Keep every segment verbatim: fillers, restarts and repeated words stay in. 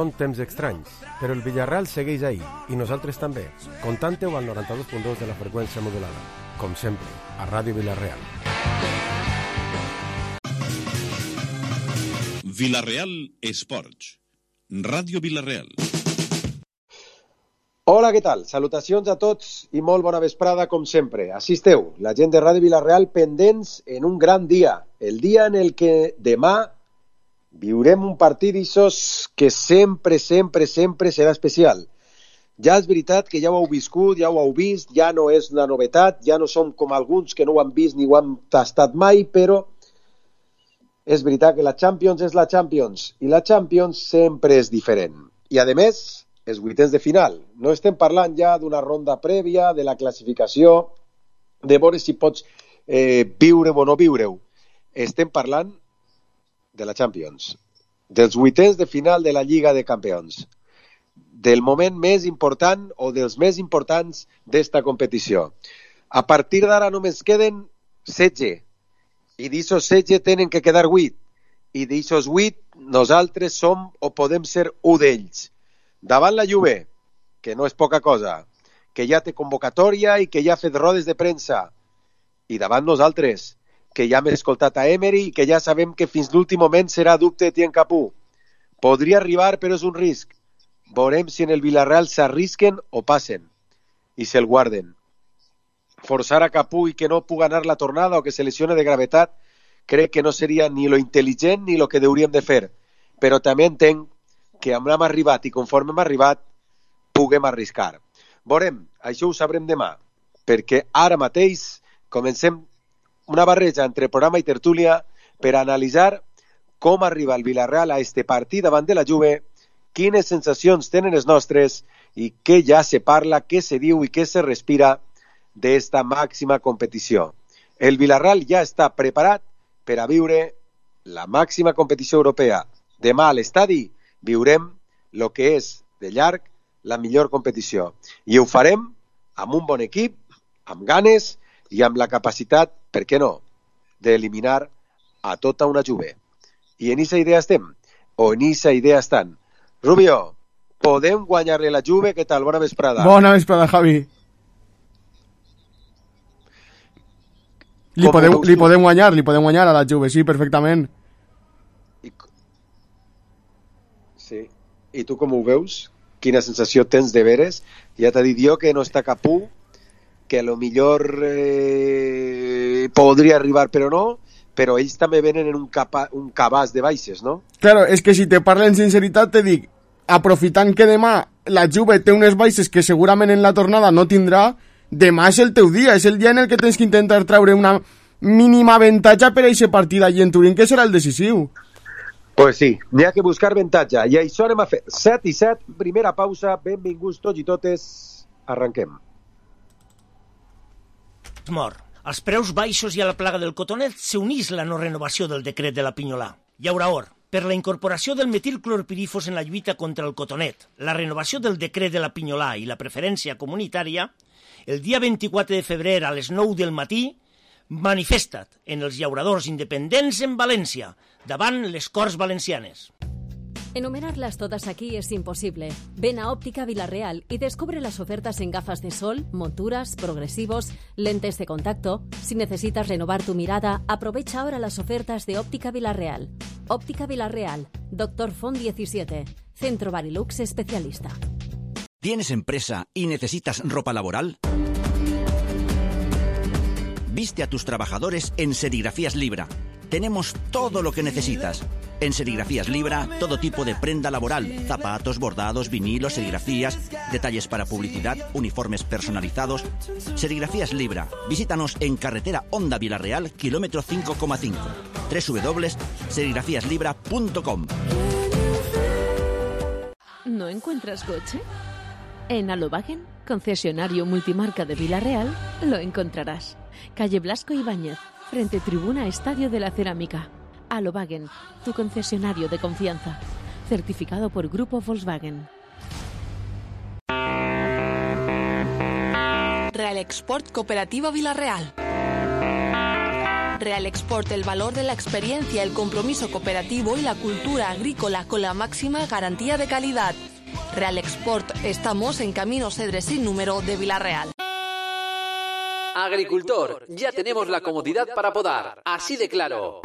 Són temps estranys, però el Villarreal segueix ahí, i nosaltres també. Contante-ho al noranta-dos punt dos de la freqüència modulada. Com sempre, a Ràdio Villarreal. Villarreal Esports. Ràdio Villarreal. Hola, què tal? Salutacions a tots i molt bona vesprada, com sempre. Així esteu, la gent de Ràdio Villarreal pendents en un gran dia. El dia en el que demà viurem un partit d'aixòs que sempre, sempre, sempre serà especial. Ja és veritat que ja ho heu viscut, ja ho heu vist, ja no és una novetat, ja no som com alguns que no ho han vist ni ho han tastat mai, però és veritat que la Champions és la Champions i la Champions sempre és diferent. I a més, els vuitens de final. No estem parlant ja d'una ronda prèvia, de la classificació, de veure si pots eh, viure o no viure-ho. Estem parlant de la Champions, dels vuitens de final de la Lliga de Campions, del moment més important o dels més importants d'esta competició. A partir d'ara només queden setze, i d'aixòs setze tenen que quedar vuit, i d'aixòs vuit nosaltres som o podem ser un d'ells. Davant la Juve, que no és poca cosa, que ja té convocatòria i que ja ha fet rodes de premsa, i davant nosaltres, que ja hem escoltat a Emery i que ja sabem que fins l'últim moment serà dubte de Tien Capú. Podria arribar, però és un risc. Veurem si en el Villarreal s'arrisquen o passen i se'l guarden. Forçar a Capú i que no pugui anar la tornada o que se lesione de gravetat crec que no seria ni lo intel·ligent ni lo que hauríem de fer. Però també entenc que amb hem arribat i conforme hem arribat puguem arriscar. Veurem, això ho sabrem demà, perquè ara mateix comencem una barreja entre programa i tertúlia per analitzar com arriba el Villarreal a este partit davant de la Juve, quines sensacions tenen els nostres i què ja se parla, què se diu i què se respira d'esta màxima competició. El Villarreal ja està preparat per a viure la màxima competició europea. Demà a l'estadi viurem el que és, de llarg, la millor competició. I ho farem amb un bon equip, amb ganes i amb la capacitat, per què no, d'eliminar a tota una Juve. I en aquesta idea estem, o en aquesta idea estan. Rubio, podem guanyar-li la Juve? Què tal? Bona vesprada. Bona vesprada, Javi. Li podem, li podem guanyar, li podem guanyar a la Juve, sí, perfectament. I... Sí. I tu com ho veus? Quina sensació tens de veres? Ja t'ha dit jo que no està Capú, que a lo millor eh, podria arribar però no, però ells també venen en un, capa, un cabàs de baixes, no? Claro, és que si te parlo en sinceritat te dic, aprofitant que demà la Juve té unes baixes que segurament en la tornada no tindrà, demà és el teu dia, és el dia en el que tens que intentar treure una mínima avantatge per a aquest partit allí en Turín, que serà el decisiu. Pues sí, n'hi ha que buscar avantatge, i això anem a fer. set i set, primera pausa, benvinguts tots i totes, arrenquem. Mor. Als preus baixos i a la plaga del cotonet s'unís la no renovació del decret de la Pinyolà. Hi haurà or per la incorporació del metilclorpirifos en la lluita contra el cotonet, la renovació del decret de la Pinyolà i la preferència comunitària. El dia vint-i-quatre de febrer a les nou del matí, manifesta't en els llauradors independents en València, davant les Corts Valencianes. Enumerarlas todas aquí es imposible. Ven a Óptica Villarreal y descubre las ofertas en gafas de sol, monturas, progresivos, lentes de contacto. Si necesitas renovar tu mirada, aprovecha ahora las ofertas de Óptica Villarreal. Óptica Villarreal, Doctor Font diecisiete, Centro Barilux especialista. ¿Tienes empresa y necesitas ropa laboral? Viste a tus trabajadores en Serigrafías Libra. Tenemos todo lo que necesitas. En Serigrafías Libra, todo tipo de prenda laboral, zapatos, bordados, vinilos, serigrafías, detalles para publicidad, uniformes personalizados. Serigrafías Libra. Visítanos en carretera Honda Villarreal, kilómetro cinco coma cinco. doble u doble u doble u punto serigrafías libra punto com. ¿No encuentras coche? En Alobagen, concesionario multimarca de Villarreal, lo encontrarás. Calle Blasco Ibáñez, frente Tribuna Estadio de la Cerámica. Alobagen, tu concesionario de confianza. Certificado por Grupo Volkswagen. Real Export Cooperativa Villarreal. Real Export, el valor de la experiencia, el compromiso cooperativo y la cultura agrícola con la máxima garantía de calidad. Real Export, estamos en Camino Cedres sin número de Vila-real. Agricultor, ya tenemos la comodidad para podar, así de claro.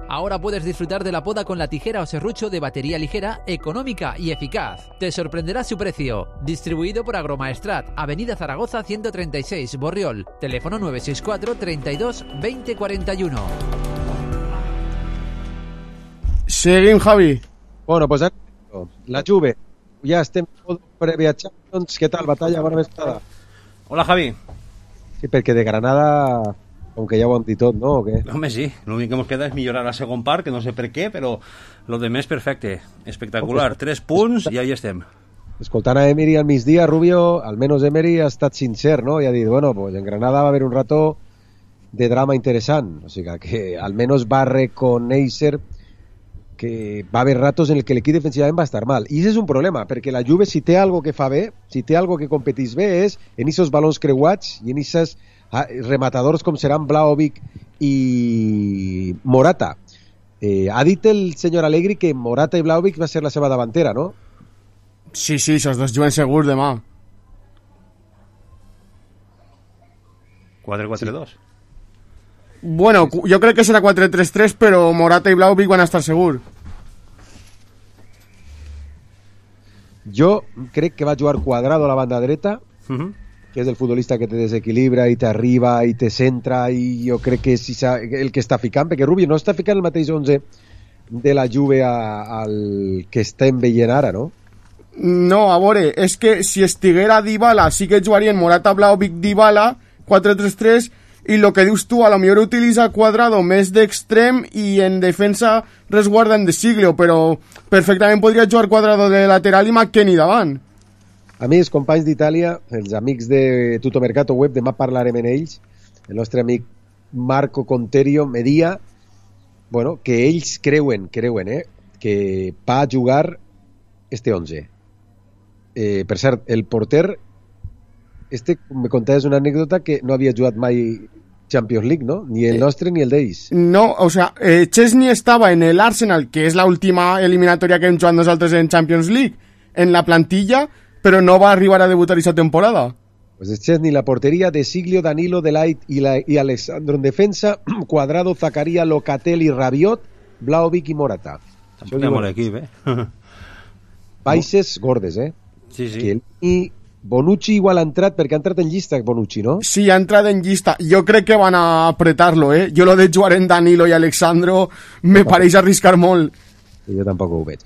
Ahora puedes disfrutar de la poda con la tijera o serrucho de batería ligera, económica y eficaz. Te sorprenderá su precio. Distribuido por Agromaestrat, Avenida Zaragoza ciento treinta y seis, Borriol. Teléfono nueve seis cuatro, treinta y dos, veinte cuarenta y uno. Seguim, Javi. Bueno, pues la Juve. Ja estem previ a Champions. Què tal, Batalla? Bona vesprada. Hola, Javi. Sí, perquè de Granada, com que ja ho hem dit tot, ¿no? ¿O qué? Home, sí. L'únic que ens queda és millorar la segon part, que no sé per què, però lo de més perfecte. Espectacular. Oh, pues, Tres punts i ahí estem. Escoltant a Emery al migdia, Rubio, almenys Emery ha estat sincer, no? I ha dit, bueno, pues en Granada va haver un rato de drama interessant. O sigui que almenys va reconèixer que va haver ratos en el que l'equip defensivament va estar mal. I això és un problema, perquè la Juve, si té algo que fa bé, si té algo que competís bé, és en aquests balons creuats i en aquests rematadors com seran Vlahovic i Morata. Eh, ha dit el senyor Allegri que Morata i Vlahovic va ser la seva davantera, no? Sí, sí, esos dos juguen segur demà. quatre quatre dos. Bueno, jo crec que serà quatre tres tres, però Morata i Vlahovic van estar segur. Jo crec que va jugar Cuadrado a la banda dreta, uh-huh. que és el futbolista que te desequilibra i t'arriba i te centra, i jo crec que és el que està ficant, perquè Rubio no està ficant el mateix onze de la Juve a, al que estem veient ara, no? No, a veure, és que si estiguera Dybala sí que jugarien Morata, Vlahovic, Dybala, quatre tres tres, i el que dius tu, a lo millor utilitza Cuadrado més d'extrem i en defensa resguarda en De Siglio, però perfectament podria jugar Cuadrado de lateral i McKennie davant. A mi, els companys d'Itàlia, els amics de Tutto Mercato Web, demà parlarem en ells, el nostre amic Marco Conterio me dia, bueno, que ells creuen, creuen, eh, que va jugar este onze. Eh, per cert, el porter este, me contaves una anècdota que no havia jugat mai Champions League, ¿no? Ni el nostre ni el d'ells. No, o sea, eh, Chesney estava en el Arsenal, que és la última eliminatòria que hem jugat nosaltres en Champions League, en la plantilla, però no va arribar a debutar aquesta temporada. Pues es Chesney, la portería, De Siglio, Danilo, Delight y, la, y Alessandro en defensa, Cuadrado, Zakaria, Locatelli, Rabiot, Vlahovic i Morata. Tampoc hi ha molt equip, eh? Baixes gordes, eh? Sí, sí. Que, I Bonucci igual ha entrat, perquè ha entrat en llista Bonucci, no? Sí, ha entrat en llista. Jo crec que van a apretar-lo, eh? Jo lo de jugar en Danilo i Alexandro me pareix arriscar molt. Jo tampoc ho veig.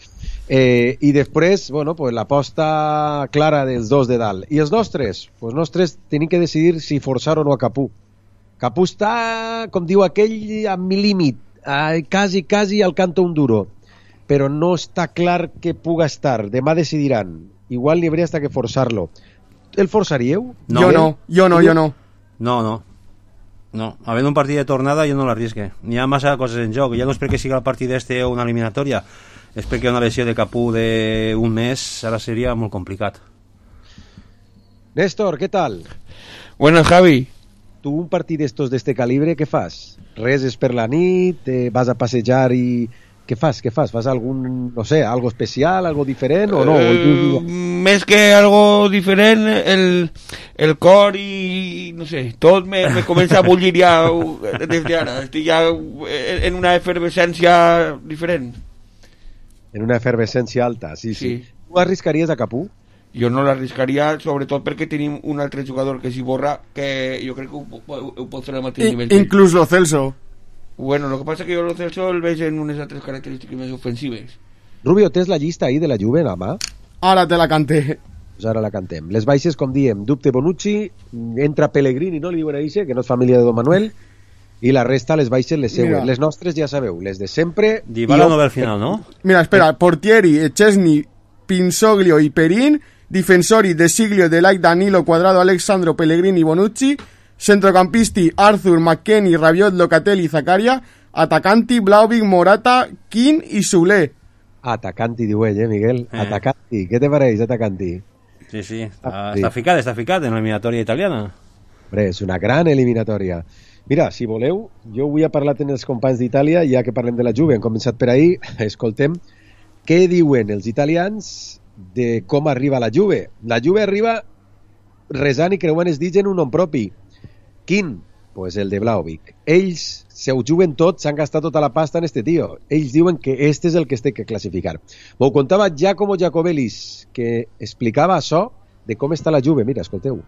Eh, I després, bueno, pues l'aposta clara dels dos de dalt. I els nostres? Pues nostres tenim que decidir si forçar o no a Capú. Capú està, com diu aquell, a mi límit, eh, quasi, quasi al canto un duro, però no està clar que puga estar. Demà decidiran. Igual n'hi hauria hasta que forçar-lo. El forçaríeu? No. Jo no, jo no, jo no. No, no. No, havent un partit de tornada jo no l'arrisque. N'hi ha massa coses en joc. Ja no és perquè siga el partit este o una eliminatòria, és perquè una lesió de Capú d'un mes ara seria molt complicat. Néstor, ¿qué tal? Buenas, Javi. Tu un partit d'estos d'este calibre, què fas? Res és per la nit, eh, vas a passejar i... Què fas? Què fas? Fas algun, no sé, algo especial, algo diferent o no? Eh, més que algo diferent, el, el cor i, no sé, tot me, me comença a bullir ja des d'ara. Estic ja en una efervescència diferent. En una efervescència alta, sí, sí. sí. Tu arriscaries a Capú? Jo no l'arriscaria, sobretot perquè tenim un altre jugador que s'hi borra, que jo crec que ho, ho, ho pot fer al mateix I, nivell. Inclús lo Celso. Bueno, lo que pasa es que yo lo Celso el veig en unes altres característiques més ofensives. Rubio, tens la llista ahí de la Juve, a mà? Ara te la canté. Pues ara la cantem. Les baixes, com diem, dubte Bonucci, entra Pellegrini, no li diuen a Ixe, que no és família de Don Manuel, i la resta, les baixes, les seues. Les nostres, ja sabeu, les de sempre... Dybala no ve al final, no? Mira, espera, Portieri, Chesney, Pinsoglio i Perin, difensori, De Siglio, Delight, Danilo, Cuadrado, Alexandro, Pellegrini, Bonucci, centrocampisti, Arthur, McKennie, Rabiot, Locatelli, Zakaria, atacanti, Vlahovic, Morata, Kin i Soler. Atacanti, diu ell, eh, Miguel? Eh. Atacanti, què te pareix, Atacanti? Sí, sí, està, ah, sí. està ficat, està ficat en l'eliminatòria italiana. Hombre, és una gran eliminatòria. Mira, si voleu, jo avui he parlat amb els companys d'Itàlia, ja que parlem de la Juve, hem començat per ahir, escoltem què diuen els italians de com arriba la Juve. La Juve arriba resant i creuant els dits en un nom propi. Quin? Pues el de Vlahovic. Ells se ho juguen tot, s'han gastat tota la pasta en este tío. Ells diuen que este és el que es té que classificar. M'ho contava Giacomo Giacobelis, que explicava això de com està la Juve. Mira, escolteu.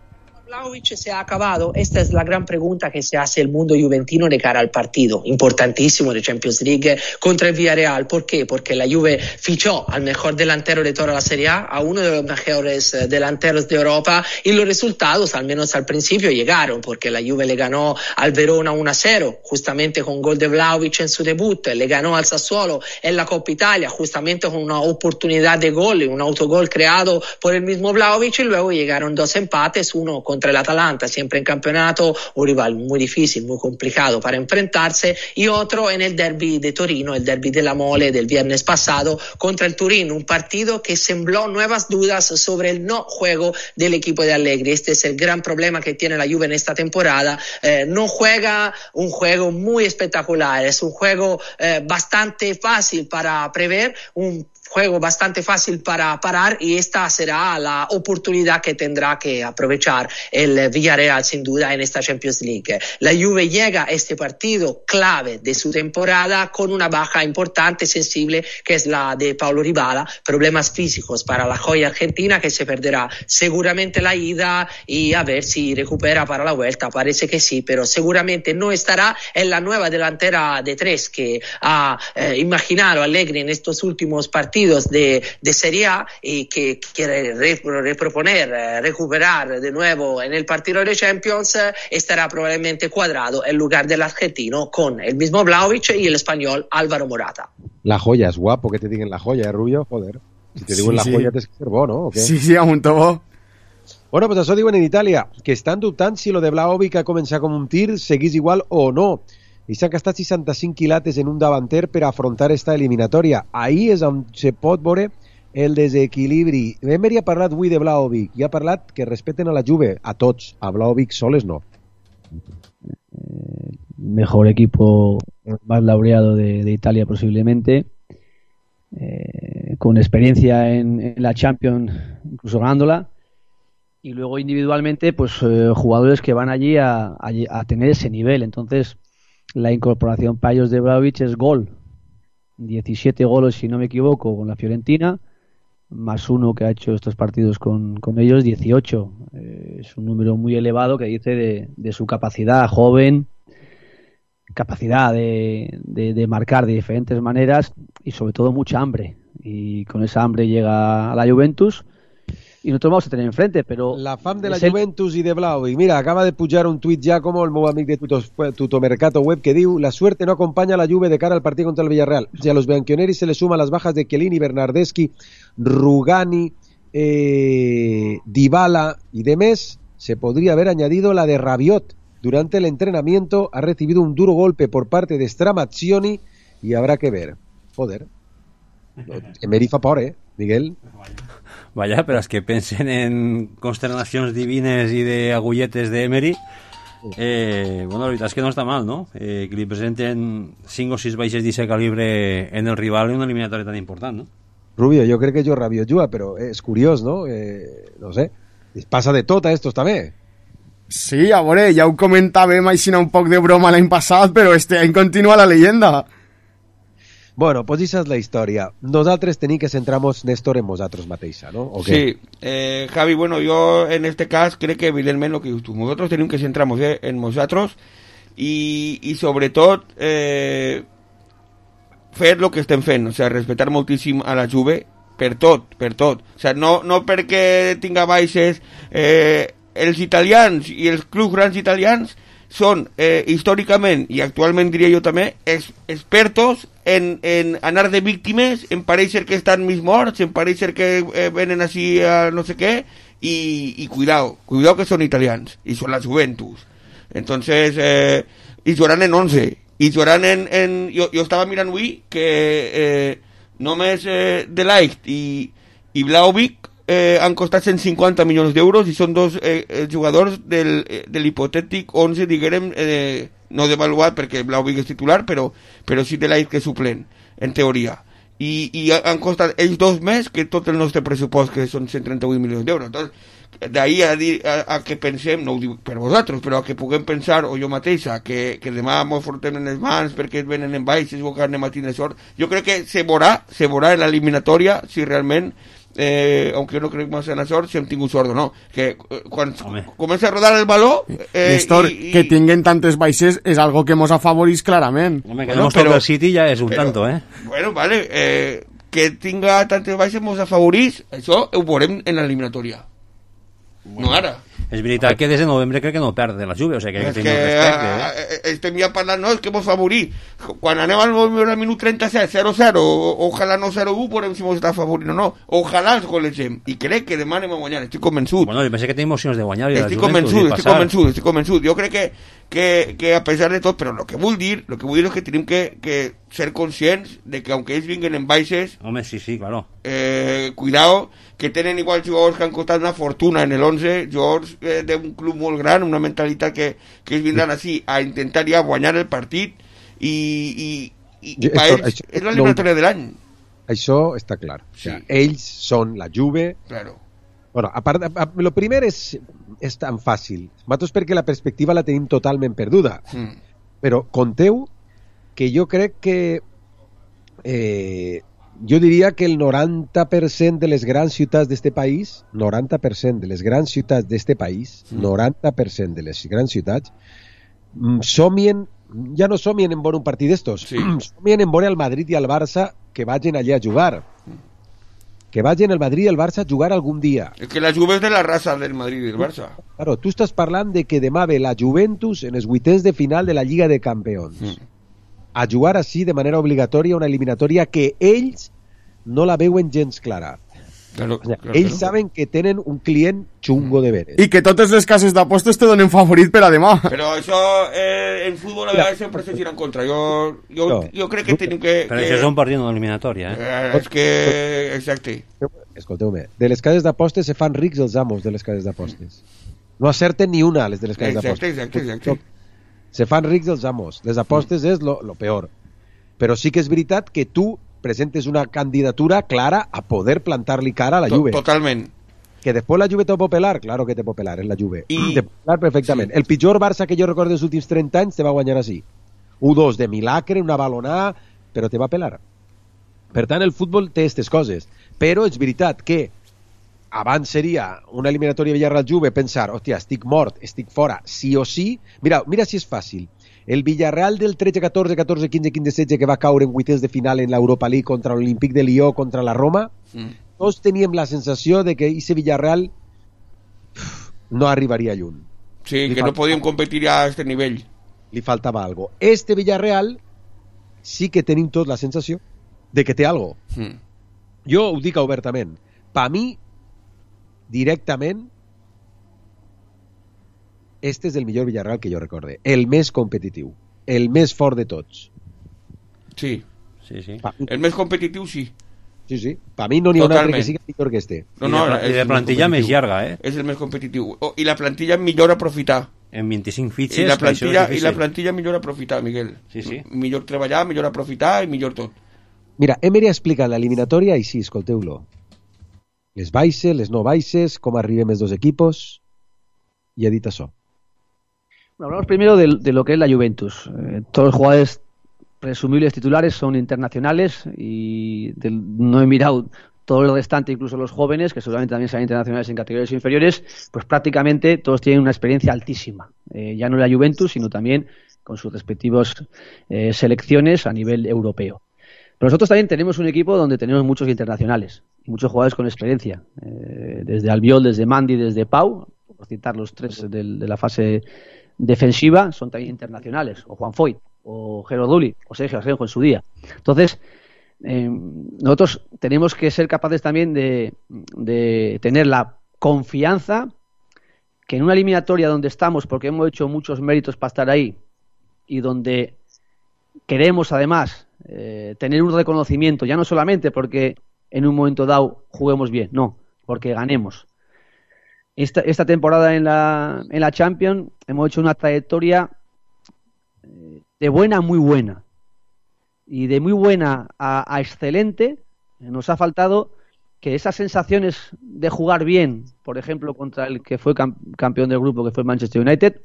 Vlahovic se ha acabado. Esta es la gran pregunta que se hace el mundo juventino de cara al partido importantísimo de Champions League contra el Villarreal. ¿Por qué? Porque la Juve fichó al mejor delantero de toda la Serie A, a uno de los mejores delanteros de Europa, y los resultados, al menos al principio, llegaron, porque la Juve le ganó al Verona uno a cero, justamente con gol de Vlahovic en su debut, le ganó al Sassuolo en la Coppa Italia, justamente con una oportunidad de gol, un autogol creado por el mismo Vlahovic, y luego llegaron dos empates, uno con contra el Atalanta, siempre en campeonato, un rival muy difícil, muy complicado para enfrentarse, y otro en el derby de Torino, el derby de la Mole del viernes pasado contra el Turín, un partido que sembró nuevas dudas sobre el no juego del equipo de Allegri. Este es el gran problema que tiene la Juve en esta temporada. Eh, no juega un juego muy espectacular, es un juego eh, bastante fácil para prever, un juego bastante fácil para parar, y esta será la oportunidad que tendrá que aprovechar el Villarreal sin duda en esta Champions League. La Juve llega a este partido clave de su temporada con una baja importante, sensible, que es la de Paulo Dybala, problemas físicos para la joya argentina, que se perderá seguramente la ida y a ver si recupera para la vuelta, parece que sí, pero seguramente no estará en la nueva delantera de tres que ha eh, imaginado Allegri en estos últimos partidos De, de Serie A, y que quiere reproponer, eh, recuperar de nuevo en el partido de Champions, eh, estará probablemente cuadrado en lugar del argentino con el mismo Vlahovic y el español Álvaro Morata. La joya, es guapo que te digan la joya, ¿eh, Rubio? Joder. Si te digo sí, la sí. joya, tens que ser bo, ¿no? ¿O qué? Sí, sí, amunt bo. Bueno, pues això diuen en Itàlia, que estan dubtant si lo de Vlahovic ha començat com un tir seguís igual o no. I s'han gastat seixanta-cinc quilates en un davanter per afrontar esta eliminatòria. Ahí és on se pot veure el desequilibri. Emery ha parlat avui de Vlahovic i ha parlat que respeten a la Juve, a tots, a Vlahovic soles no. Mejor equipo más laureado de, de Italia posiblemente, eh, con experiencia en, en la Champions, incluso ganándola, y luego individualmente pues eh, jugadores que van allí a, a, a tener ese nivel. Entonces la incorporación para ellos de Vlahovic es gol, diecisiete goles si no me equivoco con la Fiorentina, más uno que ha hecho estos partidos con, con ellos, dieciocho. Eh, es un número muy elevado que dice de, de su capacidad joven, capacidad de, de, de marcar de diferentes maneras y sobre todo mucha hambre. Y con esa hambre llega a la Juventus y nosotros vamos a tener enfrente, pero... La fam de la Juventus el... i de Vlahovic. Mira, acaba de pujar un tuit ja com el meu amic de Tuto, Tutomercato Web que diu: la suerte no acompaña a la Juve de cara al partido contra el Villarreal. Si a los bianconeri se le suman las bajas de Chiellini, Bernardeschi, Rugani, eh, Dybala y demás, se podría haber añadido la de Rabiot. Durante el entrenamiento ha recibido un duro golpe por parte de Stramaccioni y habrá que ver. Joder. Emery fa por, eh, Miguel? Vaja, però és que pensen en consternacions divines i d'agulletes d'Emery. Eh, bueno, la veritat és que no està mal, no? Eh, que li presenten cinc o sis baixes d'aquest calibre en el rival en una eliminatòria tan important, no? Rubio, jo crec que jo Rabiot juga, però és curiós, no? Eh, no sé, passa de tot a estos també. Sí, a veure, ja ho comentàvem així un poc de broma l'any passat, però este any continua la leyenda. Bueno, pues esa es la història. Nosaltres tenim que centrar-nos, Néstor, en nosaltres mateixa, ¿no? ¿O sí, eh, Javi, bueno, yo en este caso creo que evidentemente lo que dius tu, nosotros tenemos que centrar-nos eh, en nosotros y, y sobretot eh, fer lo que estem fent, o sea, respetar moltíssim a la Juve per tot, per tot. O sea, no, no perquè tinga baixes, eh, els italians i els clubs grans italians són eh, històricament i actualment diria jo també ex expertos en, en anar de víctimes, en pareixer que estan mig morts, en pareixer que eh, venen així a no sé què, i, i cuidao, cuidao que són italians i són la Juventus. Entonces eh, i jugaran en once i jugaran en, en jo, jo estava mirant avui que eh, només eh, De Ligt i, i Vlahovic Eh, han costat cent cinquanta milions d'euros i són dos eh, jugadors del, eh, de l'hipotètic onze, diguem, eh, no d'avaluat perquè Vlahovic és titular, però, però sí de l'Air que suplent, en teoria. I, i han costat ells dos més que tot el nostre pressupost, que són cent trenta-vuit milions d'euros. Entonces, d'ahir a, dir, a, a que pensem, no ho dic per vosaltres, però a que puguem pensar, o jo mateixa, que, que demà mos fortem en les mans perquè es venen en baixes o que anem a tindre sort, jo crec que se veurà, se veurà en l'eliminatòria si realment, eh, aunque jo no crec massa en la sort, si hem tingut sort o no. Que eh, quan Home. comença a rodar el baló... Eh, Néstor, i, i... que tinguen tantes baixes és algo que mos afavorís clarament. Home, que bueno, no però, el City ja és un però, tanto, eh? Bueno, vale, eh, que tinga tantes baixes mos afavorís, això ho veurem en l'eliminatòria. Bueno, no ara. És veritat que des de novembre crec que no perd de la Juve, o sigui que, que, que respecte, eh? Estem ja parlant, no, és que mos favorit. Quan anem al minut trenta-set, zero zero, ojalà no zero u, veurem si mos està favorit o no. Ojalà els golejem. I crec que demà anem a guanyar, estic convençut. Bueno, jo pensé que tenim opcions de guanyar. Estic convençut, estic convençut, estic convençut. Jo crec que, que, que a pesar de tot, però el que vull dir, el que vull dir és que tenim que, que ser conscients de que aunque ells vinguen en baixes... Home, sí, sí, claro. Eh, cuidado, que tenen igual jugadors que han costat una fortuna en el once, jugadors eh, d'un club molt gran, una mentalitat que, que ells vindran així a intentar ja guanyar el partit i, i, i, i per ells això, és l'eliminatòria no, de l'any. Això està clar. Sí. O sea, ells són la Juve. Claro. Bueno, a part, a, a, lo primer és, és tan fàcil. Nosaltres perquè la perspectiva la tenim totalment perduda. Mm. Però conteu que jo crec que eh, jo diria que el noranta per cent de les grans ciutats d'este país, noranta per cent de les grans ciutats d'este país, mm. noranta per cent de les grans ciutats, somien, ja no somien en veure un partit d'estos, sí. somien en veure el Madrid i el Barça que vagin allà a jugar. Que vagin el Madrid i el Barça a jugar algun dia. És que la Juve és de la raça del Madrid i el Barça. Claro, tu estàs parlant de que demà ve la Juventus en els vuitens de final de la Lliga de Campions. Mm. A jugar així de manera obligatòria una eliminatòria que ells no la veuen gens clara. Claro, o sea, claro, ells claro. saben que tenen un client xungo de veres. I que totes les cases d'apostes te donen favorit per a demà. Però això eh, en futbol a vegades sempre se gira en contra. Jo, jo, no. jo crec que tenim que... Però que... això és un partit no eliminatòria, eh? eh és que... Exacte. Escolteu-me, de les cases d'apostes se fan rics els amos de les cases d'apostes. No acerten ni una, les de les cases d'apostes. Exacte, exacte, exacte. Se fan rics els amos. Les apostes mm. és lo, lo peor. Però sí que és veritat que tu presentes una candidatura clara a poder plantar-li cara a la Juve. Totalment. Que després la Juve te pot pelar, claro que te pot pelar, és la Juve. I... Te pot pelar perfectament. Sí. El pitjor Barça que jo recordo dels últims trenta anys te va guanyar així. u dos de milagre, una balonada, però te va pelar. Per tant, el futbol té aquestes coses. Però és veritat que abans seria una eliminatòria Villarreal-Juve pensar, hòstia, estic mort, estic fora, sí o sí. Mira, mira si és fàcil. El Villarreal del tretze catorze, catorze quinze, quinze setze que va caure en vuitens de final en l'Europa League contra l'Olímpic de Lió, contra la Roma, mm. tots teníem la sensació de que ese Villarreal no arribaria lluny. Sí, li que faltava, no podíem competir a aquest nivell. Li faltava algo. Este Villarreal sí que tenim tot la sensació de que té algo. Mm. Jo ho dic obertament. Per mi, directament, este és el millor Villarreal que jo recorde. El més competitiu. El més fort de tots. Sí. Sí, sí. Pa... El més competitiu, sí. Sí, sí. Per mi no n'hi ha un altre que sigui millor que este. No, no, I de, i de plantilla més llarga, eh? És el més competitiu. Oh, I la plantilla millor aprofitar. En vint-i-cinc fitxes... I la plantilla, i la plantilla millor aprofitar, Miguel. Sí, sí. Millor treballar, millor aprofitar i millor tot. Mira, Emery ha explicat l'eliminatòria i sí, escolteu-lo. Les baixes, les no baixes, com arribem els dos equipos, i ha dit això. Hablamos primero de, de lo que es la Juventus. Eh, todos los jugadores presumibles titulares son internacionales y del, no he mirado todo el restante, incluso los jóvenes, que seguramente también serán internacionales en categorías inferiores, pues prácticamente todos tienen una experiencia altísima. Eh, ya no la Juventus, sino también con sus respectivos eh, selecciones a nivel europeo. Pero nosotros también tenemos un equipo donde tenemos muchos internacionales, muchos jugadores con experiencia. Eh, desde Albiol, desde Mandi, desde Pau, por citar los tres de, de la fase defensiva, son también internacionales, o Juan Foyt, o Jero Duli, o Sergio Asenjo en su día. Entonces, eh, nosotros tenemos que ser capaces también de, de tener la confianza que en una eliminatoria donde estamos, porque hemos hecho muchos méritos para estar ahí, y donde queremos además eh, tener un reconocimiento, ya no solamente porque en un momento dado juguemos bien, no, porque ganemos. Esta, esta temporada en la, en la Champions hemos hecho una trayectoria de buena a muy buena. Y de muy buena a, a excelente nos ha faltado que esas sensaciones de jugar bien, por ejemplo, contra el que fue campeón del grupo, que fue Manchester United,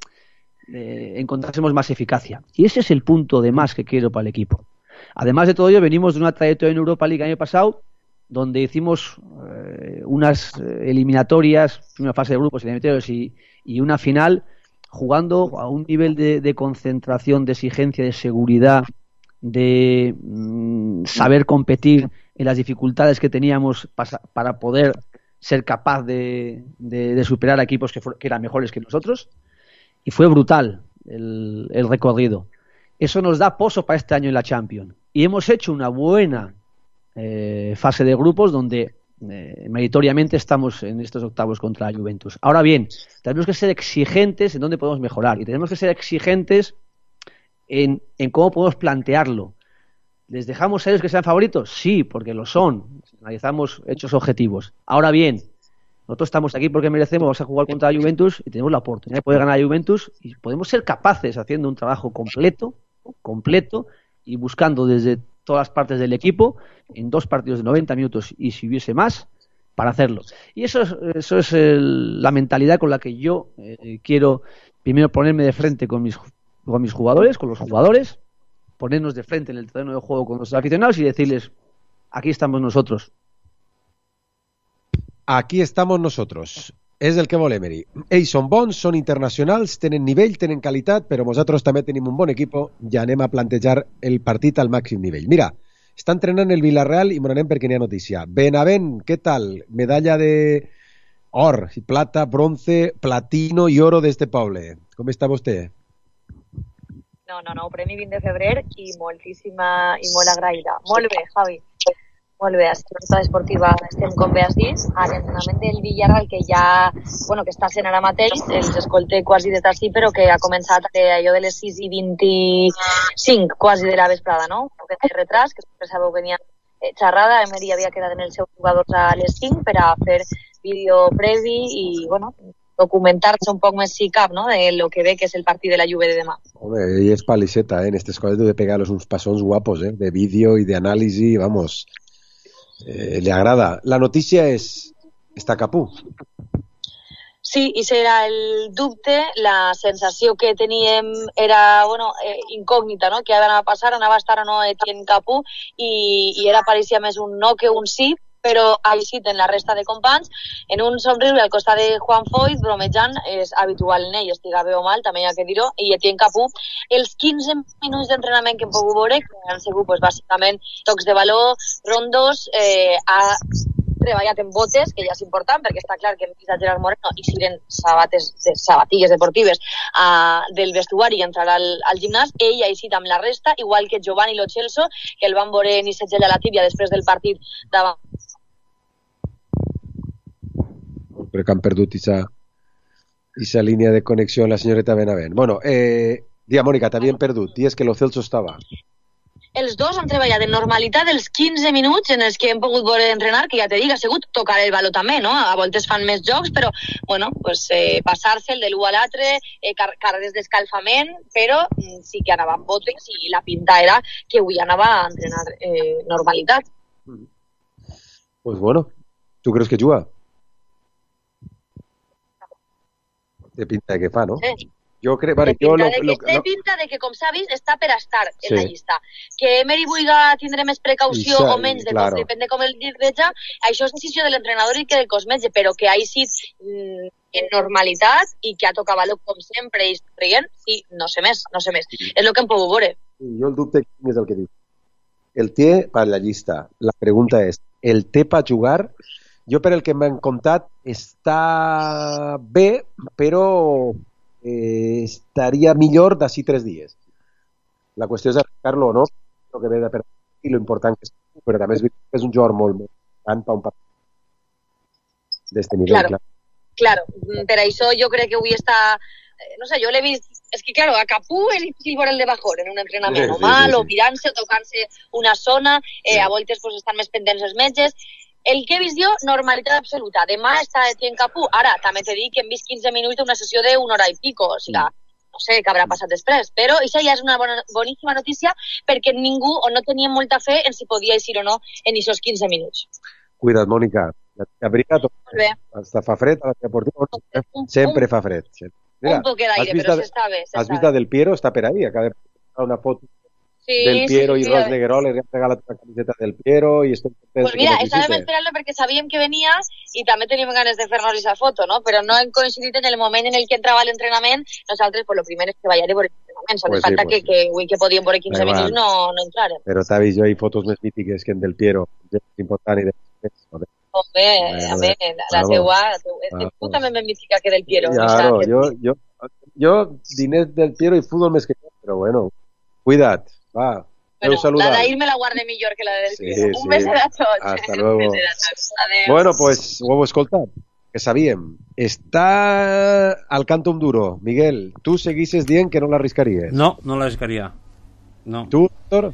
eh, encontrásemos más eficacia. Y ese es el punto de más que quiero para el equipo. Además de todo ello, venimos de una trayectoria en Europa League el año pasado, donde hicimos eh, unas eliminatorias, una fase de grupos eliminatorios y, y una final, jugando a un nivel de, de concentración, de exigencia, de seguridad, de mmm, saber competir en las dificultades que teníamos para, para poder ser capaz de, de, de superar a equipos que, for, que eran mejores que nosotros, y fue brutal el, el recorrido. Eso nos da pozo para este año en la Champions, y hemos hecho una buena eh, fase de grupos donde eh, meritoriamente estamos en estos octavos contra la Juventus. Ahora bien, tenemos que ser exigentes en dónde podemos mejorar, y tenemos que ser exigentes en, en cómo podemos plantearlo. ¿Les dejamos a ellos que sean favoritos? Sí, porque lo son. Analizamos hechos objetivos. Ahora bien, nosotros estamos aquí porque merecemos, vamos a jugar contra la Juventus y tenemos la oportunidad de poder ganar a la Juventus, y podemos ser capaces, haciendo un trabajo completo, completo y buscando desde todas las partes del equipo, en dos partidos de noventa minutos y si hubiese más, para hacerlo. Y eso es, eso es el, la mentalidad con la que yo eh, quiero primero ponerme de frente con mis, con mis jugadores, con los jugadores, ponernos de frente en el terreno de juego con los aficionados y decirles, aquí estamos nosotros. Aquí estamos nosotros. És el que vol Emery. Ells són bons, són internacionals, tenen nivell, tenen qualitat, però nosaltres també tenim un bon equip i anem a plantejar el partit al màxim nivell. Mira, està entrenant el Villarreal i m'anem perquè n'hi ha notícia. Benavent, què tal? Medalla de or, plata, bronce, platino i oro d'este poble. Com està vostè? No, no, no, premi vint de febrer i moltíssima i molt agraïda. Molt bé, Javi. Molt bé, a la esportiva estem, com bé has dit, a l'entrenament del Villarreal, que ja, bueno, que està sent ara mateix, els escolté quasi des d'ací, però que ha començat allò de les sis i vint-i-cinc, quasi de la vesprada, no? Que té retras, que sempre sabeu que n'hi ha xerrada, Emery havia quedat en els seus jugadors a les cinc per a fer vídeo previ i, bueno, documentar-se un poc més si cap, no?, de lo que ve que és el partit de la Juve de demà. Home, ell és palisseta, eh? En aquestes coses de pegar-los uns passons guapos, eh? De vídeo i d'anàlisi, vamos... Eh, le agrada. La notícia és està Capú. Sí, i serà el dubte, la sensació que teníem era, bueno, eh, incògnita, no?, que anava a passar, anava a estar o no Etienne Capú, i, i era pareixia més un no que un sí, però així en la resta de companys, en un somriure al costat de Juan Foyt, bromejant, és habitual en ell, estiga bé o mal, també hi ha que dir-ho, i Etienne Capú, els quinze minuts d'entrenament que hem pogut veure, que han sigut, pues, bàsicament, tocs de baló, rondos, eh, ha treballat en botes, que ja és important, perquè està clar que hem vist a Gerard Moreno i siren sabates, sabatilles deportives uh, del vestuari i entrar al, al gimnàs, ell ha eixit amb la resta, igual que Giovanni Lo Celso, que el van veure ni segella a la tíbia després del partit davant. Crec que han perdut esa línia de connexió amb la senyoreta Benavent. Bueno, eh, dia, Mònica, t'havien perdut. Dies que Lo Celso estava. Els dos han treballat en normalitat els quinze minuts en els que hem pogut veure entrenar, que ja te dic, ha sigut tocar el baló també, no? A voltes fan més jocs, però, bueno, pues, eh, passar-se el de l'u a l'altre, eh, car carreres d'escalfament, però mm, sí que anava amb botes i la pinta era que avui anava a entrenar eh, normalitat. Pues bueno, tu creus que juga? De pinta de que fa, no? Sí. Jo crec, vale, de pinta, jo lo, de, que, lo, de lo... pinta de que, com s'ha vist, està per estar en sí. la llista. Que Emery vulga tindre més precaució Ixa, o menys, de claro. com, depèn de com el dirgeja, això és decisió de l'entrenador i que del cosmetge, però que ha eixit mm, en normalitat i que ha tocat baló com sempre i rient, sí, no sé més, no sé més. Sí. És el que hem pogut veure. Jo el dubte és el que diu. El té per la llista. La pregunta és, el té per jugar? Jo, per el que m'han contat, està bé, però eh, estaria millor d'ací tres dies. La qüestió és arrencar-lo o no, el que ve de per i lo important que és, però també és, és un jugador molt important per un partit d'este nivell. Claro, claro. claro. Per això jo crec que avui està, no sé, jo l'he vist, és que claro, a Capú és difícil veure el de bajor en un entrenament, sí, o mal, sí, sí, sí. o mirant-se, o tocant-se una zona, eh, a voltes pues, estan més pendents els metges. El que he vist jo, normalitat absoluta. Demà està Etienne Capú. Ara, també t'he dit que hem vist quinze minuts d'una sessió d'una hora i pico. O sigui, no sé què haurà passat després, però això ja és una bona, boníssima notícia perquè ningú o no tenia molta fe en si podia eixir o no en aquests quinze minuts. Cuida't, Mònica. Abriga't. Molt bé. Hasta fa fred a la deportiva. Sempre fa fred. Mira, un poquet d'aire, però s'està bé. Has vist Del Piero? Està per ahí. Acaba de posar una foto sí, del Piero sí, i sí, Ros sí. de Guerol. Le han regalat una camiseta del Piero i estem contents. Pues mira, estàvem esperant-lo perquè sabíem que venia i també teníem ganes de fer-nos aquesta foto, no? Però no hem coincidit en el moment en el que entrava l'entrenament. Nosaltres, pues, lo primer és que vaya de veure l'entrenament. Sols Pues falta sí, pues que, que, avui que podíem veure quinze Bé, minuts va. no, no entrarem. Però t'ha vist jo, hi fotos més mítiques que en del Piero. És important i de... Home, Bueno, a ver, la vamos. teua, és Vamos. tu també més mítica que del Piero. Claro, Mixa. yo, yo, yo diners del Piero y fútbol més que jo, però bueno, cuida't, va. Bueno, saludar. la d'ahir me la guarde millor que la del Sí, Piero. Un sí. beset a tots. Hasta Un luego. beset a tots. Adéu. Bueno, pues ho heu escoltat, que sabíem. Està al Cantum Duro. Miguel, tu seguisses dient que no l'arriscaries. No, no l'arriscaria. No. Tu, Héctor?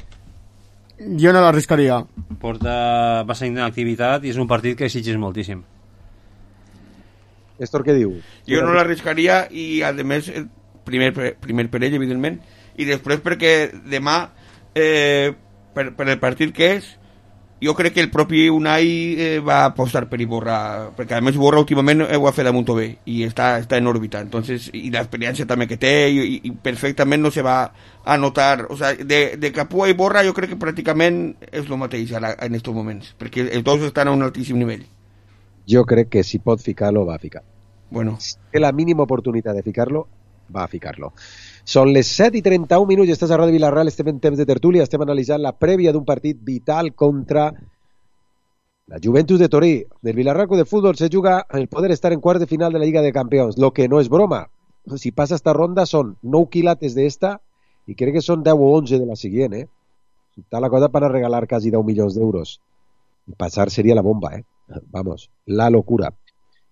Jo no l'arriscaria. Porta bastante inactivitat i és un partit que exigeix moltíssim. Héctor, què diu? Jo no l'arriscaria i, a més, eh, primer, primer per ell, evidentment, i després perquè demà, eh, per, per el partit que és, jo crec que el propi Unai eh, va apostar per Iborra, perquè a més Iborra últimament ho ha fet a molt bé i està, està en òrbita, entonces, i l'experiència també que té i, i perfectament no se va a notar, o sea, de, de Capú a Iborra jo crec que pràcticament és el mateix ara, en aquests moments, perquè els dos estan a un altíssim nivell. Jo crec que si pot ficar-lo, va a ficar. Bueno. Si té la mínima oportunitat de ficar-lo, va a ficar-lo. Són les set i trenta-un minuts i estàs a Ràdio Vilareal, estem en temps de tertúlia, estem analitzant la prèvia d'un partit vital contra la Juventus de Torí. Del Villarreal Club de Fútbol se juga el poder estar en quarts de final de la Liga de Campeones, lo que no és broma. Si passa esta ronda són nou quilates d'esta i crec que són deu o onze de la següent, eh? Està la cosa per a regalar quasi deu milions d'euros. Passar seria la bomba, eh? Vamos, la locura.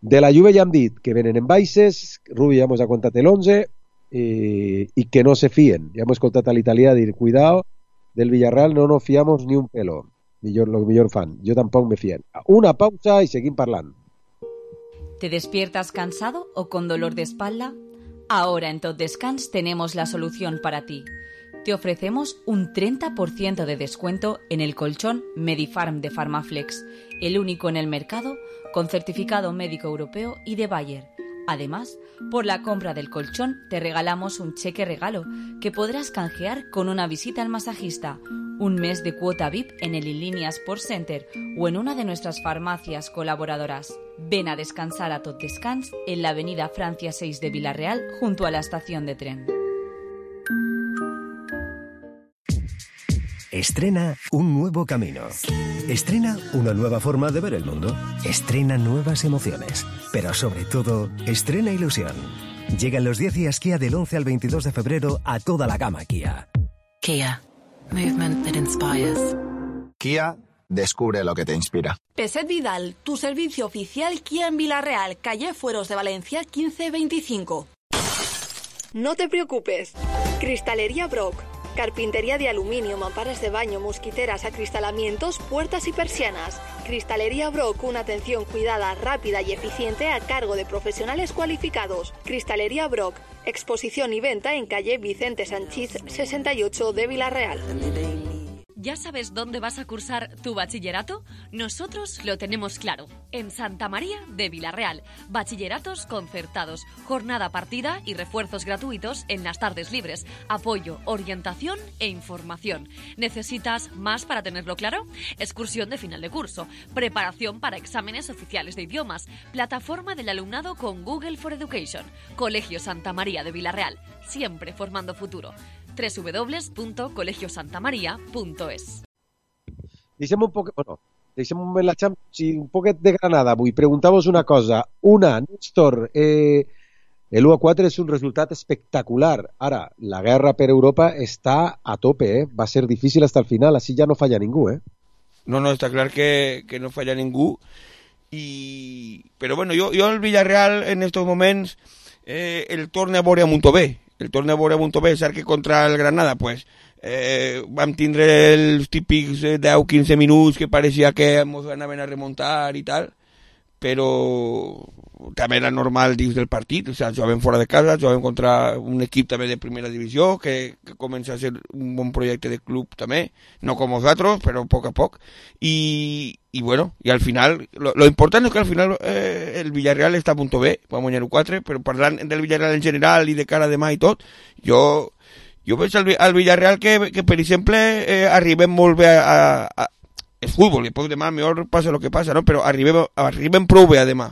De la Juve ja hem dit que venen en baixes, Rubi ja mos ha contat l'onze, i, i que no se fien. Ja hem escoltat a l'italià dir, cuidado, del Villarreal no nos fiamos ni un pelo. Millor, lo millor fan. Jo tampoc me fien. Una pausa i seguim parlant. ¿Te despiertas cansado o con dolor de espalda? Ahora en Tot Descans tenemos la solución para ti. Te ofrecemos un treinta por ciento de descuento en el colchón Medifarm de Farmaflex, el único en el mercado con certificado médico europeo y de Bayer. Además, por la compra del colchón te regalamos un cheque regalo que podrás canjear con una visita al masajista, un mes de cuota V I P en el Inlínea Sports Center o en una de nuestras farmacias colaboradoras. Ven a descansar a Tot Descans en la avenida Francia seis de Villarreal junto a la estación de tren. Estrena un nuevo camino. Estrena una nueva forma de ver el mundo. Estrena nuevas emociones. Pero sobre todo, estrena ilusión. Llegan los diez días Kia del once al veintidós de febrero a toda la gama Kia. Kia. Movement that inspires. Kia, descubre lo que te inspira. Peset Vidal, tu servicio oficial Kia en Villarreal, calle Fueros de Valencia quince veinticinco. No te preocupes. Cristalería Brock. Carpintería de aluminio, mamparas de baño, mosquiteras, acristalamientos, puertas y persianas. Cristalería Brock, una atención cuidada, rápida y eficiente a cargo de profesionales cualificados. Cristalería Brock, exposición y venta en calle Vicente Sanchís sesenta y ocho de Villarreal. ¿Ya sabes dónde vas a cursar tu bachillerato? Nosotros lo tenemos claro. En Santa María de Villarreal. Bachilleratos concertados, jornada partida y refuerzos gratuitos en las tardes libres. Apoyo, orientación e información. ¿Necesitas más para tenerlo claro? Excursión de final de curso. Preparación para exámenes oficiales de idiomas. Plataforma del alumnado con Google for Education. Colegio Santa María de Villarreal. Siempre formando futuro. doble u doble u doble u punto colegio santa maria punto es. Deixem un poc... Bueno, deixem un moment la Champions i un poquet de Granada. Vull preguntar-vos una cosa. Una, Néstor, eh, l'u a quatre és un resultat espectacular. Ara, la guerra per Europa està a tope, eh? Va ser difícil fins al final, així ja no falla ningú, eh? No, no, està clar que, que no falla ningú. I... Però bueno, jo, jo el Villarreal en estos moments eh, el torne a veure molt bé. El torne a veure molt bé, cert que contra el Granada pues, eh, vam tindre els típics deu a quinze minuts que pareixia que ens anaven a remuntar i tal, però també era normal dins del partit, o sigui, jugaven fora de casa, jugaven contra un equip també de primera divisió, que, que comença a ser un bon projecte de club també, no com nosaltres, però a poc a poc, i, i bueno, i al final, lo, lo important és que al final eh, el Villarreal està a punt B, va guanyar un quatre, però parlant del Villarreal en general i de cara a demà i tot, jo, jo veig al, al Villarreal que, que per exemple, eh, arribem molt bé a, a, a és futbol, i després demà millor passa el que passa, no? Però arribem, arribem prou bé a demà.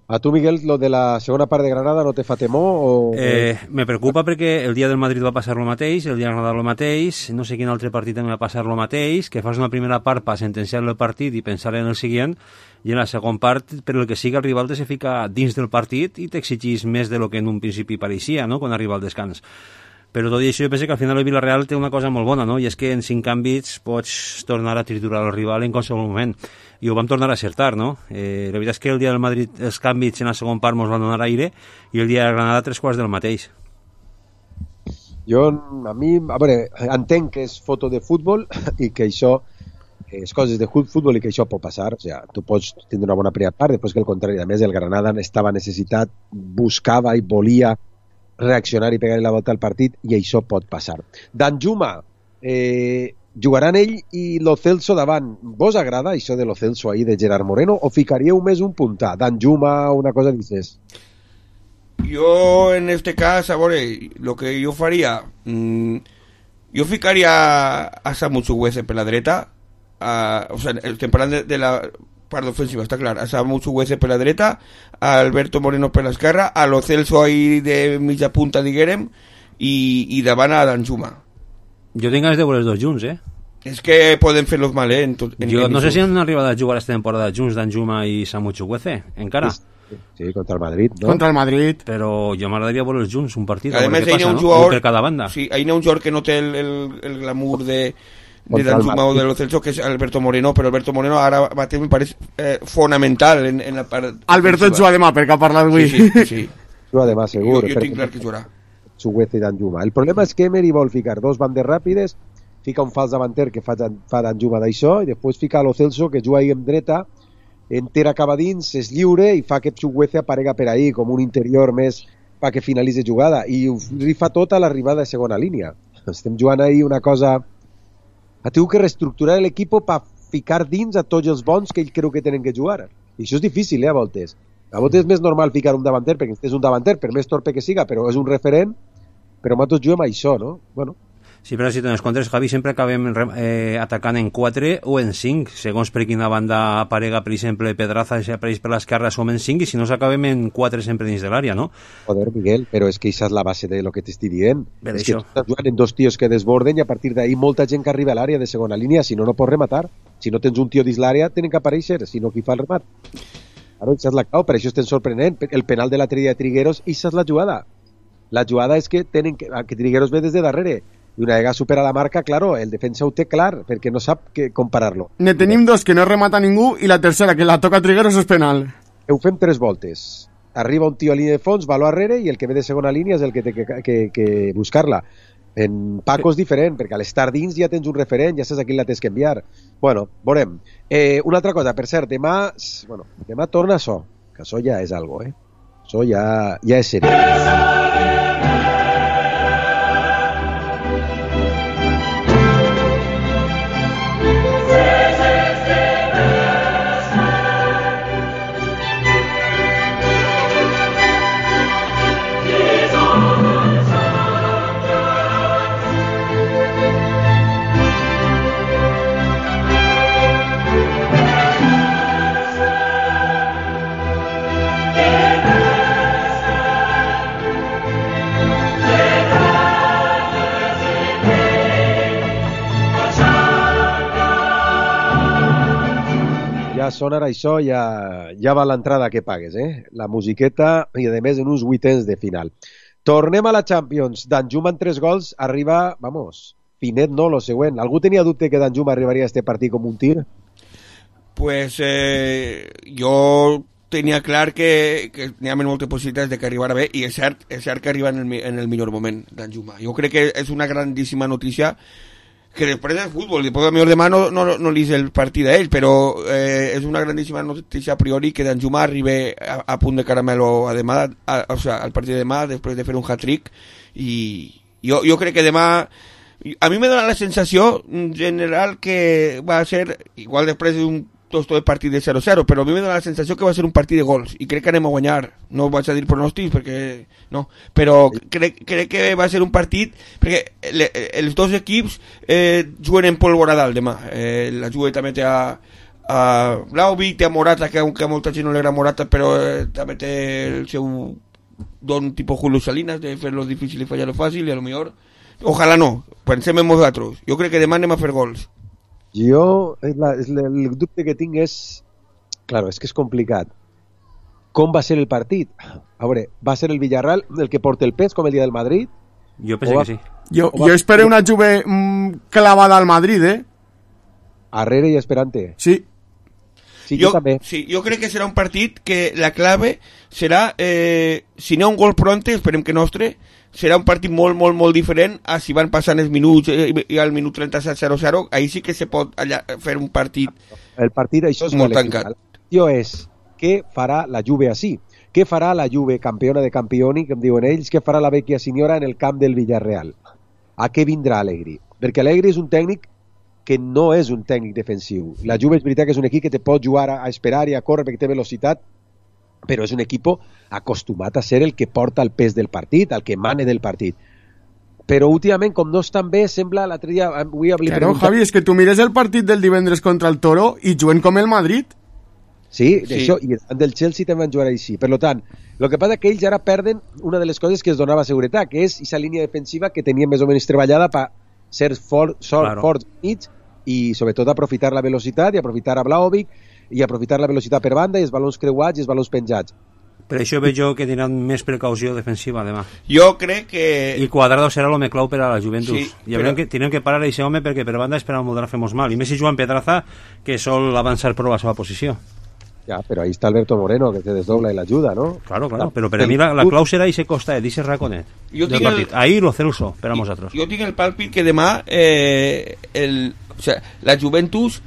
A tu, Miguel, lo de la segona part de Granada no te fa temor? O... Eh, me preocupa perquè el dia del Madrid va passar lo mateix, el dia de Granada lo mateix, no sé quin altre partit també va passar lo mateix, que fas una primera part per sentenciar el partit i pensar en el següent, i en la segona part, per el que sigui, el rival te se fica dins del partit i t'exigís més de lo que en un principi pareixia, no?, quan arriba al descans. Però tot i això jo penso que al final el Villarreal té una cosa molt bona, no?, i és que en cinc canvis pots tornar a triturar el rival en qualsevol moment, i ho vam tornar a acertar, no? Eh, la veritat és que el dia del Madrid els canvis en la segona part ens van donar aire, i el dia de Granada tres quarts del mateix. Jo, a mi, a veure, entenc que és foto de futbol i que això és coses de futbol i que això pot passar, o sigui, tu pots tindre una bona primera part, després que el contrari, a més el Granada estava necessitat, buscava i volia reaccionar i pegar la volta al partit, i això pot passar. Danjuma, eh, jugaran ell i Lo Celso davant. Vos agrada això de Lo Celso ahí de Gerard Moreno o ficaríeu més un puntà? Danjuma, una cosa dices? Jo, en este cas, a veure, lo que jo faria, mmm, jo ficaria a Samu Chukwueze per la dreta, a, o sigui, estem parlant de, de la part ofensiva, està clar, a Samu Chukwueze per la dreta, a Alberto Moreno per l'esquerra, a Lo Celso ahí de mitja punta, diguérem, i, i davant a Danjuma. Jo tinc ganes de veure els dos junts, eh? És que poden fer-los mal, eh? En tot, en, jo en no sé tot. si han arribat a jugar esta temporada junts Danjuma i Samu Chukwueze, encara. Sí, sí, contra el Madrid, no? Contra el Madrid. Però jo m'agradaria veure els junts, un partit, a veure més, què passa, un no? Jugador, per cada banda. Sí, hi ha un jugador que no té el, el, el glamour de, de Danjuma o de Lo Celso, que és Alberto Moreno, però Alberto Moreno ara mateix me pareix eh, fonamental en, en la part... Alberto et juga demà, perquè ha parlat avui. Sí, sí, sí. Juga demà, segur. Jo, jo tinc clar que jugarà. Chukwueze i Danjuma. El problema és que Emery vol ficar dos bandes ràpides, fica un fals davanter que fa, fa Danjuma d'això, i després fica Lo Celso, que juga ahí en dreta, entera cap a dins, és lliure, i fa que Chukwueze aparega per ahí, com un interior més perquè finalitzi jugada, i ho rifa tot a l'arribada de segona línia. Estem jugant ahí una cosa... Ha tingut que reestructurar l'equip per ficar dins a tots els bons que ell creu que tenen que jugar. I això és difícil, eh, a voltes. A voltes és més normal ficar un davanter, perquè és un davanter, per més torpe que siga, però és un referent, però nosaltres juguem a això, no? Bueno. Sí, però si te'n comptes, Javi, sempre acabem eh, atacant en quatre o en cinc, segons per quina banda aparega, per exemple, Pedraza, si apareix per l'esquerra, som en cinc, i si no, s'acabem en quatre sempre dins de l'àrea, no? Joder, Miguel, però és que això és la base de lo que t'estic dient. Per és això. que tu estàs jugant en dos tios que desborden i a partir d'ahí molta gent que arriba a l'àrea de segona línia, si no, no pots rematar. Si no tens un tio dins l'àrea, tenen que aparèixer, si no, qui fa el remat? Claro, això és la clau, per això estem sorprenent. El penal de l'altre dia de Trigueros, això és la jugada. La jugada és que tenen que, que Trigueros ve des de darrere, i una vegada supera la marca, claro, el defensa ho té clar, perquè no sap que comparar-lo. Ne tenim dos que no remata ningú, i la tercera, que la toca Trigueros, és penal. Ho fem tres voltes. Arriba un tio a línia de fons, va a l'arrere, i el que ve de segona línia és el que té que, que, que buscar-la. En Paco és diferent, perquè a l'estar dins ja tens un referent, ja saps a qui la tens que enviar. Bueno, veurem. Eh, una altra cosa, per cert, demà, bueno, demà torna això, que això ja és algo, eh? Això ja, ja és seriós. Ja sonarà això, ja, ja va l'entrada que pagues, eh? La musiqueta, i a més en uns vuitens de final. Tornem a la Champions. Danjuma en tres gols arriba, vamos, finet no, lo següent. Algú tenia dubte que Danjuma arribaria a este partit com un tir? Pues eh, jo tenia clar que, que n'hi ha moltes possibilitats de que arribara bé, i és cert, és cert que arriba en el, en el millor moment Danjuma. Jo crec que és una grandíssima notícia que després del futbol, després potser demà no, no, no li és el partit a ell, però eh, és una grandíssima notícia a priori que Danjuma arribi a, a punt de caramelo a demà, a, o sea, al partit de demà, després de fer un hat-trick, i jo, jo crec que demà, a mi me dona la sensació general que va a ser, igual després d'un tostó de partit de zero zero, però a mi me dona la sensació que va ser un partit de gols, i crec que anem a guanyar. No vaig a dir pronòstics perquè no, però crec, crec que va ser un partit perquè le, els dos equips eh, juguen en pólvora dalt demà. Eh, la Juve també té a, a Vlahovic, té a Morata, que aunque a molta gent no li agrada Morata, però eh, també té el seu don tipus Julio Salinas de fer-lo difícil i fallar-lo fàcil, i a lo millor ojalà no, pensem en nosaltres. Jo crec que demà anem a fer gols. Jo, és la, és la, el dubte que tinc és, claro, és que és complicat. Com va ser el partit? A veure, va ser el Villarreal el que porta el pes com el dia del Madrid? Jo penso va, que sí. Jo, va, jo espero una Juve mm, clavada al Madrid, eh? Arrere i esperante. Sí. Sí, jo, jo també. Sí, jo crec que serà un partit que la clave serà, eh, si n'hi ha un gol pronte, esperem que nostre, serà un partit molt, molt, molt diferent a si van passant els minuts eh, i al minut trenta-set zero zero, ahí sí que se pot allà, fer un partit el partit això és molt tancat. tancat. La qüestió és què farà la Juve així? Què farà la Juve campiona de campioni, que em diuen ells, què farà la vecchia signora en el camp del Villarreal? A què vindrà Allegri? Perquè Allegri és un tècnic que no és un tècnic defensiu. La Juve és veritat que és un equip que te pot jugar a, a esperar i a córrer perquè té velocitat, però és un equip acostumat a ser el que porta el pes del partit, el que mane del partit. Però últimament, com no estan bé, sembla l'altre dia... Avui claro, preguntat... Javi, és que tu mires el partit del divendres contra el Toro i juguen com el Madrid. Sí, sí. Això, i del Chelsea també van jugar així. Per tant, el que passa és que ells ara perden una de les coses que es donava seguretat, que és aquesta línia defensiva que tenien més o menys treballada per ser fort, sort, claro. forts mig i sobretot aprofitar la velocitat i aprofitar a Vlahovic i aprofitar la velocitat per banda i els balons creuats i els balons penjats. Per això veig jo que tindran més precaució defensiva demà. Jo crec que... I Cuadrado serà l'home clau per a la Juventus. Sí, I però... que tindrem que parar a aquest home perquè per banda esperam molt de fer-nos mal. I més si Joan Pedraza, que sol avançar prou la seva posició. Ja, però ahí està Alberto Moreno, que te desdobla i l'ajuda, ¿no? Claro, claro, però per a mi la, la clau serà ese costa, ese raconet jo del partit. El... Ahí lo celuso per a nosaltres. Jo tinc el pàlpit que demà eh, el, o sea, la Juventus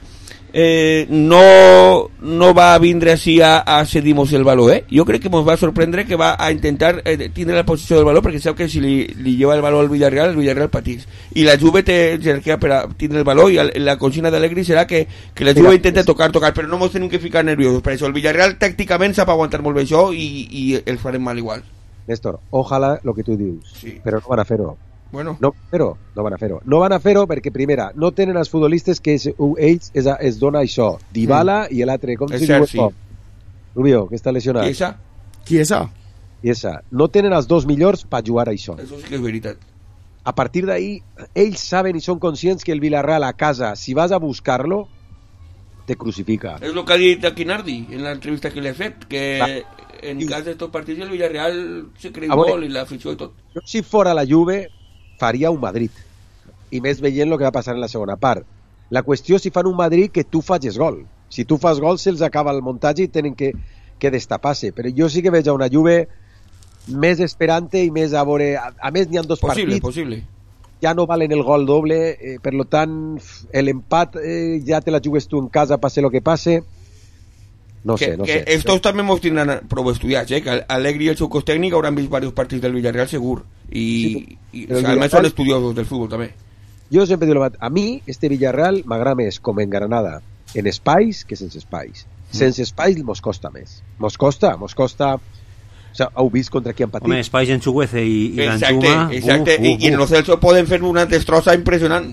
eh, no, no va a vindre així a, a cedir-nos el valor, eh? Jo crec que ens va sorprendre que va a intentar eh, tindre la posició del valor, perquè sap que si li, li lleva el valor al Villarreal, el Villarreal patís. I la Juve té jerarquia per a tindre el valor, i el, la consigna d'Allegri serà que, que la Juve intenta tocar, tocar, però no ens tenim que ficar nerviosos per això. El Villarreal tàcticament sap aguantar molt bé això i, i els farem mal igual. Néstor, ojalà el que tu dius, sí. Però no van a fer-ho. Bueno. No, però no van a fer-ho. No van a fer-ho perquè, primera, no tenen els futbolistes que es, ells es, es dona això. Dybala mm. i l'altre, com es se diu? Sí. Rubio, que està lesionat. Chiesa. Chiesa. Chiesa. No tenen els dos millors per jugar a això. Això sí que és veritat. A partir d'ahí, ells saben i són conscients que el Villarreal a casa, si vas a buscar-lo, te crucifica. És el que ha dit Aquinardi en l'entrevista que li ha fet, que ah. en cas de tot partits el Villarreal se creu molt i l'afició i tot. Jo, si fora la Juve, faria un Madrid, i més veient el que va passar en la segona part. La qüestió és si fan un Madrid que tu facis gol. Si tu fas gol se'ls acaba el muntatge i tenen que, que destapar-se, però jo sí que veig a una Juve més esperante i més a veure, a, a més n'hi ha dos possible, partits possible. Ja no valen el gol doble, eh, per lo tant l'empat eh, ja te la jugues tu en casa, passe lo que passe. No que, sé, no que sé. Estos també mos tindran prou estudiats, eh? Que Allegri i el seu cos tècnic hauran vist diversos partits del Villarreal segur, i, sí, i o sea, almenys són estudiosos del futbol també. Jo sempre dic, a mi este Villarreal m'agrada més com en Granada en espais que sense espais. Mm. Sense espais mos costa més. Mos costa, mos costa... O sea, heu vist contra qui han patit? Home, espais en Chuguece i, i exacte, Danjuma... Exacte, uf, uf, uf. I, i en el Celso poden fer una destrossa impressionant.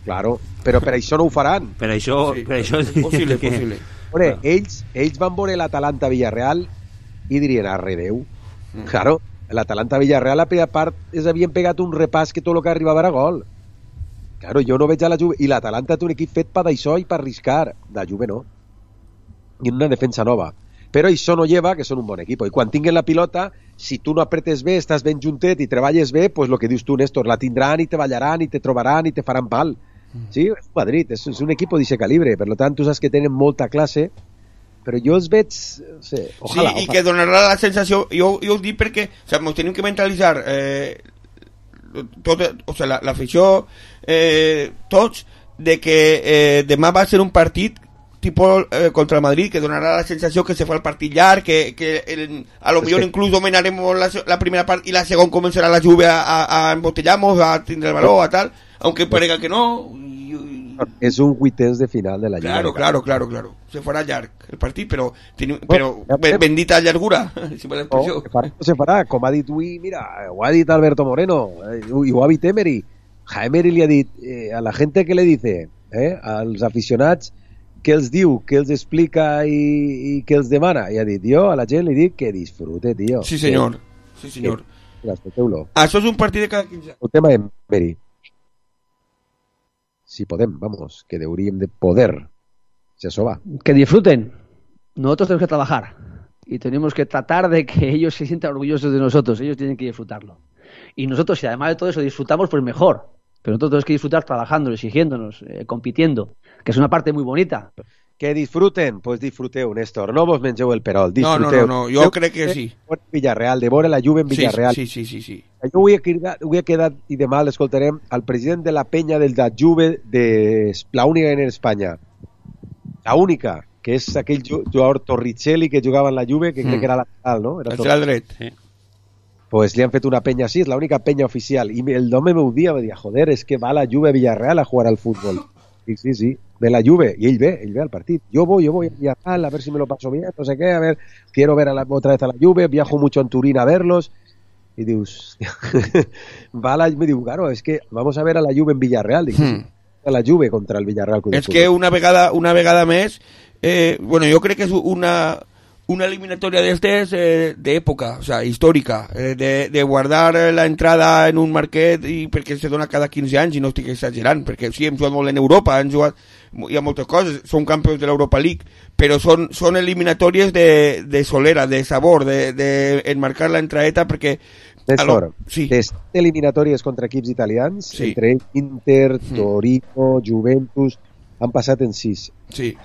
Claro, però per això no ho faran. Per això... Sí, per això és possible, que... possible. Veure, ells, ells van veure l'Atalanta Villarreal i dirien, arre Déu. Mm. Claro, l'Atalanta Villarreal a primera part es havien pegat un repàs que tot el que arribava era gol. Claro, jo no veig a la Juve. I l'Atalanta té un equip fet per d'això i per arriscar. La Juve no. I una defensa nova. Però això no lleva que són un bon equip. I quan tinguin la pilota, si tu no apretes bé, estàs ben juntet i treballes bé, pues lo que dius tu, Néstor, la tindran i te ballaran i te trobaran i te faran pal. Sí, és Madrid, és, és un equip d'aquest calibre, per tant tu saps que tenen molta classe, però jo els veig, no sé, ojalà, sí, i ojalà. que donarà la sensació, jo, jo ho dic perquè, o sea, ens tenim que mentalitzar, eh, tot, o sigui, l'afició, eh, tots, de que eh, demà va ser un partit tipus eh, contra el Madrid, que donarà la sensació que se fa el partit llarg, que, que el, a lo millor inclús dominaremos la, la primera part i la segona començarà la Juve a, a, a embotellar-nos, a tindre el valor, a tal, aunque parega que no. Y, y... Es un vuitens de final de la Lliga. Claro, claro, claro, claro. Se farà llarg el partit, però, teni, però bueno, bendita llargura, si me l'expressió. No, se farà, com ha dit avui, mira, ho ha dit Alberto Moreno, eh, i ho ha dit Emery. A Emery li ha dit, eh, a la gent que le dice, eh, als aficionats, què els diu, què els explica i, i què els demana, i ha dit, jo a la gent li dic que disfrute, tio. Sí senyor, sí senyor. Escolteu-lo. Això és un partit de cada quinze. El tema de Emery. Si podem, vamos, que deberíem de poder. Si eso va. Que disfruten. Nosotros tenemos que trabajar y tenemos que tratar de que ellos se sientan orgullosos de nosotros. Ellos tienen que disfrutarlo. Y nosotros, si además de todo eso disfrutamos, pues mejor. Pero nosotros tenemos que disfrutar trabajando, exigiéndonos, eh, compitiendo, que es una parte muy bonita. Que disfruten, pues disfruteu, Néstor. No vos mengeu el perol, disfruteu. No, no, no, jo crec que sí. Villarreal, de veure la Juve en Villarreal. Sí, sí, sí, sí. sí. Jo avui he, quedat, avui he quedat, i demà l'escoltarem, al president de la penya del da Juve, de la única en Espanya. La única, que és aquell jugador Torricelli que jugava en la Juve, que mm. crec que era lateral, no? Era lateral dret, sí. Pues li han fet una penya així, és l'única penya oficial. I el home m'ho dia, va dir, joder, és que va la Juve a Villarreal a jugar al futbol. Sí, sí, sí, ve la Juve, y él ve, él ve al partido. Yo voy, yo voy a viajar, a ver si me lo paso bien, no sé qué, a ver, quiero ver a la, otra vez a la Juve, viajo mucho en Turín a verlos. Y dius, va a la, me digo, claro, es que vamos a ver a la Juve en Villarreal. Digo, hmm. a la Juve contra el Villarreal. Es que una vegada, una vegada més, eh, bueno, yo creo que es una... una eliminatoria d'estes eh, d'època, o sea, històrica, eh, de, de guardar la entrada en un marquet i perquè se dona cada quinze anys i no estic exagerant, perquè sí, hem jugat molt en Europa, hem jugat, hi ha moltes coses, són campions de l'Europa League, però són, són eliminatòries de, de solera, de sabor, de, de enmarcar la entraeta, perquè... Néstor, sí. Les eliminatòries contra equips italians, sí. Entre Inter, Torino, Juventus, han passat en sis. Sí.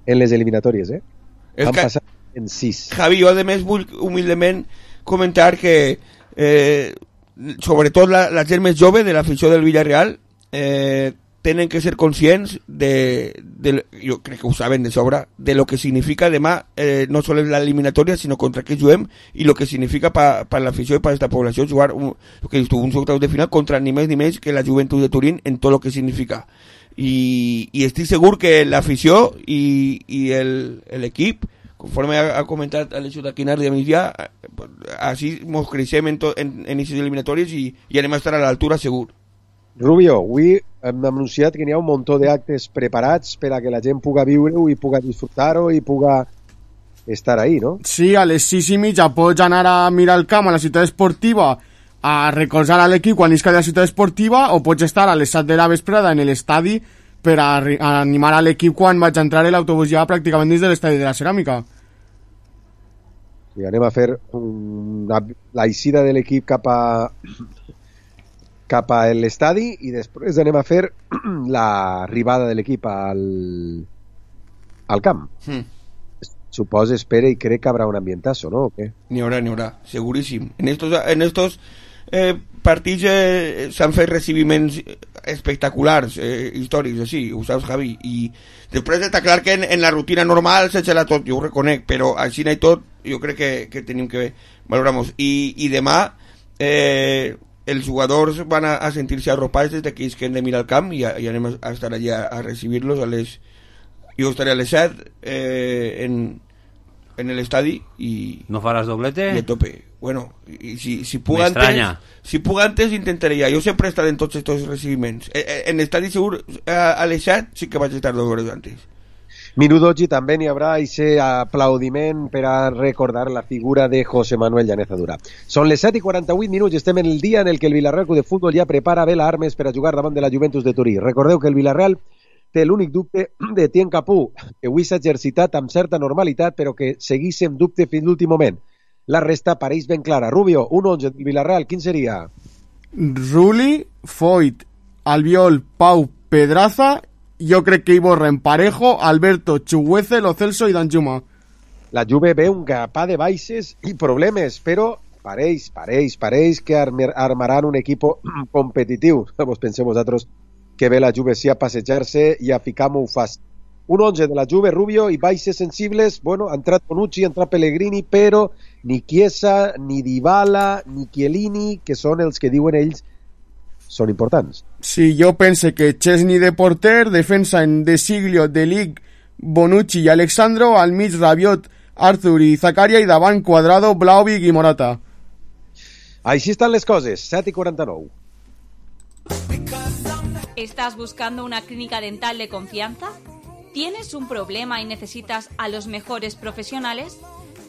En les eliminatòries, eh? És han que... passat en sis. Javi, jo a més vull humilment comentar que eh, sobretot la, la gent més jove de l'afició del Villarreal eh, tenen que ser conscients de, de, jo crec que ho saben de sobre, de lo que significa demà eh, no sols la eliminatòria sinó contra què juguem i lo que significa per pa l'afició i per aquesta població jugar un, lo que dius tu, un octaus de final contra ni més ni menys que la Juventud de Turín en tot lo que significa i, i estic segur que l'afició i, i l'equip conforme ha, ha comentat Alessio Taquinar de Migdia, així mos creixem en, en, en aquestes eliminatòries i, i anem a estar a l'altura segur. Rubio, avui hem anunciat que n'hi ha un muntó d'actes preparats per a que la gent puga viure-ho i puga disfrutar-ho i puga estar ahí, no? Sí, a les sis i mitja pots anar a mirar el camp a la ciutat esportiva a recolzar a l'equip quan isca de la ciutat esportiva o pots estar a les set de la vesprada en l'estadi per a, a animar a l'equip quan vaig entrar l'autobús ja pràcticament dins de l'estadi de la Ceràmica. I anem a fer una, la eixida de l'equip cap a cap a l'estadi i després anem a fer l'arribada de l'equip al al camp. Mm. Suposo, espera i crec que habrà un ambientazo, ¿no? ¿O qué? N'hi haurà, n'hi haurà, seguríssim. En estos, en estos eh, partits eh, s'han fet recibiments espectaculars, eh, històrics, així, ho saps, Javi, i després està clar que en, en la rutina normal s'eixerà tot, jo ho reconec, però així i tot, jo crec que, que tenim que valorar-nos. I, i demà eh, els jugadors van a, a sentir-se arropats des d'aquells que hem de mirar al camp i, i anem a, a estar allà a recibir-los a les... Jo estaré a les set eh, en, en l'estadi i... ¿No faràs doblete? I a tope. Bueno, y si, si puc antes, si puc antes intentaré ja. Jo sempre he estat en tots aquests recibiments. En l'estadi segur a, a les set sí que vaig estar dos hores antes. Minudogi també n'hi haurà aquest aplaudiment per a recordar la figura de José Manuel Llaneza Dura. Són les set i quaranta-vuit minuts i estem en el dia en el que el Villarreal Club de Futbol ja prepara bé l'armes per a jugar davant de la Juventus de Turí. Recordeu que el Villarreal té l'únic dubte de Tien Capú, que avui s'ha exercitat amb certa normalitat, però que segueix amb dubte fins l'últim moment. La resta pareix ben clara. Rubio, un onze del Villarreal, quin seria? Rulli, Foyt, Albiol, Pau, Pedraza, jo crec que Iborra en Parejo, Alberto, Chuguece, Lo Celso i Danjuma. La Juve ve un capà de baixes i problemes, però pareix, pareix, pareix que armaran un equip competitiu. Vos penseu vosaltres que ve la Juve sí a passejar-se i a ficar-m'ho fàcil. Un onze de la Juve, Rubio, i baixes sensibles, bueno, ha entrat Bonucci, ha entrat Pellegrini, però ni Chiesa, ni Dybala, ni Chiellini, que són els que diuen ells, són importants. Sí, jo pense que Chesney de porter, defensa en De Siglio, De Ligt, Bonucci i Alexandro, al mig Rabiot, Arthur i Zakaria, i davant Cuadrado, Vlahovic i Morata. Així estan les coses, set i quaranta-nou. ¿Estás buscando una clínica dental de confianza? ¿Tienes un problema y necesitas a los mejores profesionales?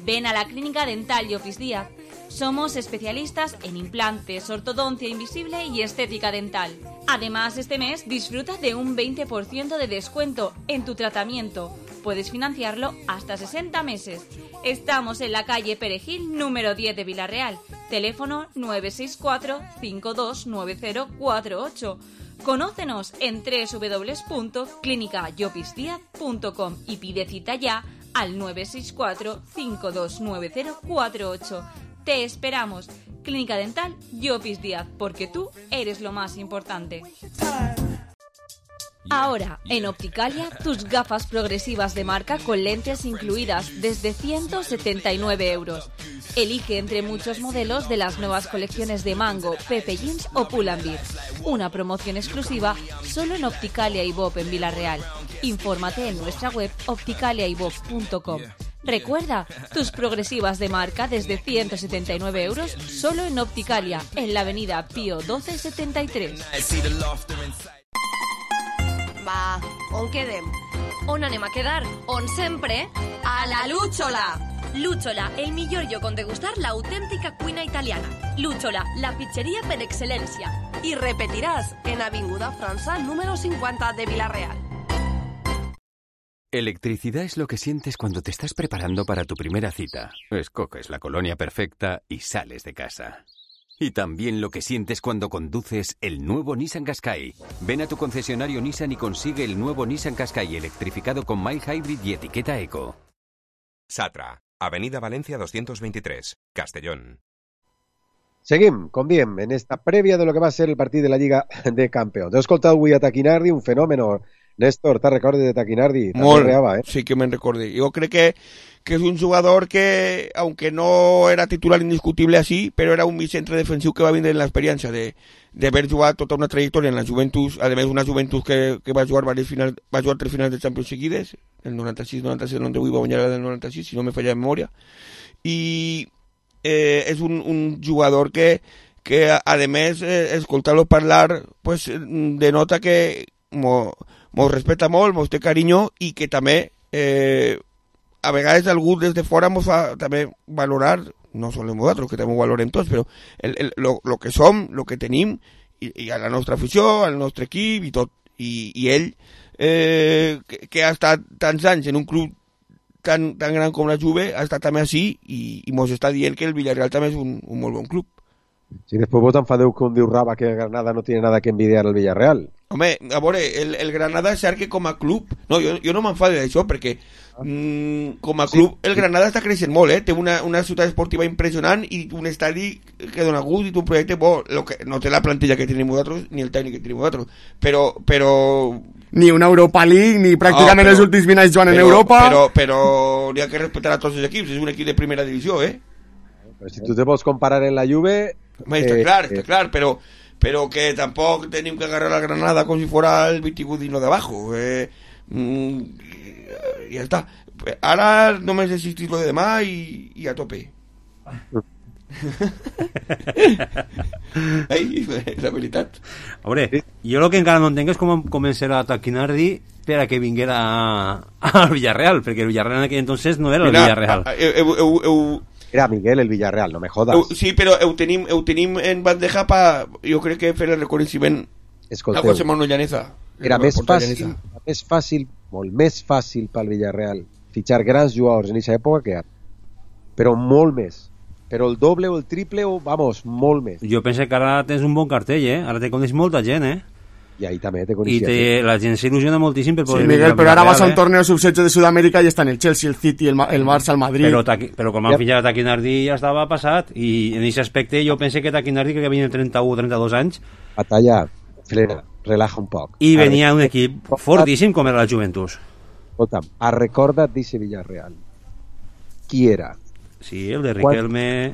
Ven a la Clínica Dental Llopis Díaz. Somos especialistas en implantes, ortodoncia invisible y estética dental. Además, este mes disfruta de un veinte por ciento de descuento en tu tratamiento. Puedes financiarlo hasta sesenta meses. Estamos en la calle Perejil, número diez de Villarreal. Teléfono nueve seis cuatro, cinco dos nueve cero cuatro ocho. Conócenos en doble u doble u doble u punto clínica llopis díaz punto com y pide cita ya al nueve seis cuatro, cinco dos nueve cero cuatro ocho. Te esperamos. Clínica Dental Llopis Díaz, porque tú eres lo más importante. Ahora, en Opticalia, tus gafas progresivas de marca con lentes incluidas desde ciento setenta y nueve euros. Elige entre muchos modelos de las nuevas colecciones de Mango, Pepe Jeans o Pull&Bear. Una promoción exclusiva solo en Opticalia y Bob en Villarreal. Infórmate en nuestra web opticalia y bob punto com. Recuerda, tus progresivas de marca desde ciento setenta y nueve euros solo en Opticalia, en la avenida Pío doce setenta y tres. Va, on quedem? On anem a quedar? On sempre? A la Lúchola! Lúchola, el millor lloc on degustar l'autèntica cuina italiana. Lúchola, la pizzeria per excel·lència. I repetiràs en Avinguda França, número cincuenta de Villarreal. Electricidad es lo que sientes cuando te estás preparando para tu primera cita. Escoges la colonia perfecta y sales de casa. Y también lo que sientes cuando conduces el nuevo Nissan Qashqai. Ven a tu concesionario Nissan y consigue el nuevo Nissan Qashqai electrificado con mild hybrid y etiqueta eco. Satra, Avenida Valencia doscientos veintitrés, Castellón. Seguim, com diem, en esta prèvia de lo que va ser el partit de la Lliga de Campeons. He escoltat avui a Taquinardi, un fenòmeno. Néstor, ¿te recordes de Taquinardi? Molt, reaba, ¿eh? Sí que me recordé. Yo creo que, que es un jugador que, aunque no era titular indiscutible así, pero era un centre defensiu que va vindre en l'experiència de, de haver jugat tota una trajectòria en la Juventus, a més una Juventus que, que va jugar varios finals, va jugar tres finals de Champions seguides, el noranta-sis noranta-set, el noranta-vuit va guanyar el noranta-sis, si no me falla la memòria, i eh, és un, un jugador que, que a més, eh, escoltar-lo parlar, pues, denota que mo, mos respecta molt, mos té carinyo i que també eh, a vegades algú des de fora mos fa també valorar, no sols nosaltres, que també ho valorem tots, però el, el, lo, lo que som, lo que tenim, i, i a la nostra afició, al nostre equip i tot. I, i ell, eh, que, que ha estat tants anys en un club tan, tan gran com la Juve, ha estat també així i, i mos està dient que el Villarreal també és un, un molt bon club. Si després vos enfadeu com diu Raba que Granada no tiene nada que envidiar al Villarreal. Home, a veure, el, el Granada és cert que com a club, no, jo, jo no m'enfado d'això perquè mm, com a club sí, el Granada està creixent molt, eh? Té una, una ciutat esportiva impressionant i un estadi que dona gust i un projecte bo, lo que, no té la plantilla que tenim nosaltres ni el tècnic que tenim nosaltres, però, però... Ni una Europa League, ni pràcticament oh, però, els últims vint anys jugant en Europa. Però, però n'hi ha que respectar a tots els equips, és un equip de primera divisió, eh? Però si tu te vols comparar en la Juve... Home, està eh, clar, està clar, però, però que tampoc tenim que agarrar la Granada com si fuera el veintiuno de abajo. Eh, mm, ja està. Ara només existís lo de demà i, i a tope. Ai, la veritat. A veure, jo el que encara no entenc és com començarà a Taquinardi per a que vinguera al Villarreal, perquè el Villarreal en aquell entonces no era el Mira, Villarreal. Eu, eu, eu, Era Miguel el Villarreal, no me jodas. Eu, sí, però ho tenim, ho tenim en bandeja pa, jo crec que fer el reconeixement a José Manuel Llaneza. Era més fàcil, més fàcil, molt més fàcil pel Villarreal fitxar grans jugadors en aquesta època que ara. Però molt més. Però el doble o el triple o, vamos, molt més. Jo penso que ara tens un bon cartell, eh? Ara te coneix molta gent, eh? I ahí també te I coneixia. te, la gent s'il·lusiona moltíssim per Sí, poder Miguel, venir pero ahora vas a un eh? torneo sub dieciocho de Sudamérica y están el Chelsea, el City, el, Ma- el Barça, el Madrid. Però, Taqui- però com han fillat Taquinardi ja estava passat, i en aquest aspecte jo pensé que Taquinardi, que venia trenta-u o trenta-dos anys, Batalla, frena, relaja un poc. i venia un equip fortíssim com era la Juventus. Escolta'm, a recorda't d'eixe Villarreal. Qui era? Sí, el de Riquelme,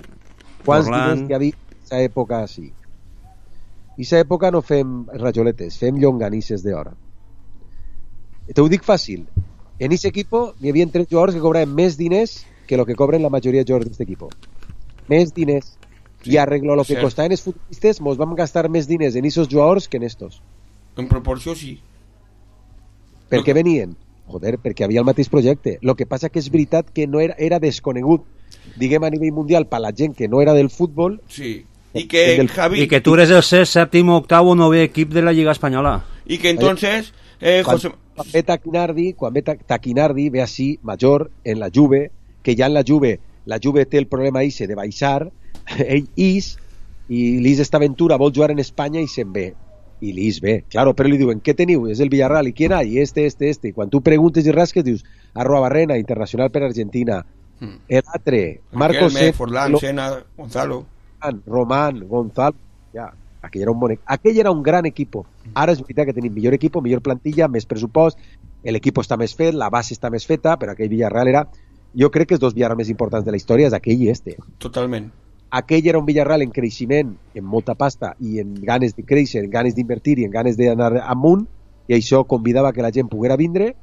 Quants Forlán... diners que hi havia en aquesta època així? En aquesta època no fem rajoletes, fem llonganisses d'hora. Te ho dic fàcil. En aquest equip hi havia tres jugadors que cobraven més diners que el que cobren la majoria de jugadors d'aquest equip. Més diners. I arreglo el que cert. costaven els futbolistes, mos vam gastar més diners en aquests jugadors que en estos. En proporció, sí. Per què venien? Joder, perquè havia el mateix projecte. El que passa que és veritat que no era, era desconegut, diguem a nivell mundial, per la gent que no era del futbol. Sí. I que, del... Javi... I que tu eres el sexto, sèptim, octavo, novè equip de la Lliga Espanyola. I que entonces... Eh, quan, José... quan ve Taquinardi, quan ve Taquinardi ve així, major, en la Juve, que ja en la Juve, la Juve té el problema ese de baixar, ell is, i l'Is d'Estaventura vol jugar en Espanya i se'n ve. I l'Is ve, claro, però li diuen, què teniu? És el Villarreal, i quién hay? Este, este, este. I quan tu preguntes i rasques, dius, Arroa Barrena, internacional per Argentina, Hmm. el altre, Marcos Riquelme, Forlán, Sena, Gonzalo. Román, Gonzalo, ja, aquell era un bon, aquell era un gran equipo. Ara és veritat que tenim millor equipo, millor plantilla, més pressupost, l'equip està més fet, la base està més feta, però aquell Villarreal era, jo crec que els dos Villarreal més importants de la història és aquell i este. Totalment. Aquell era un Villarreal en creixement, en molta pasta i en ganes de créixer, en ganes d'invertir i en ganes d'anar amunt, i això convidava que la gent poguera vindre,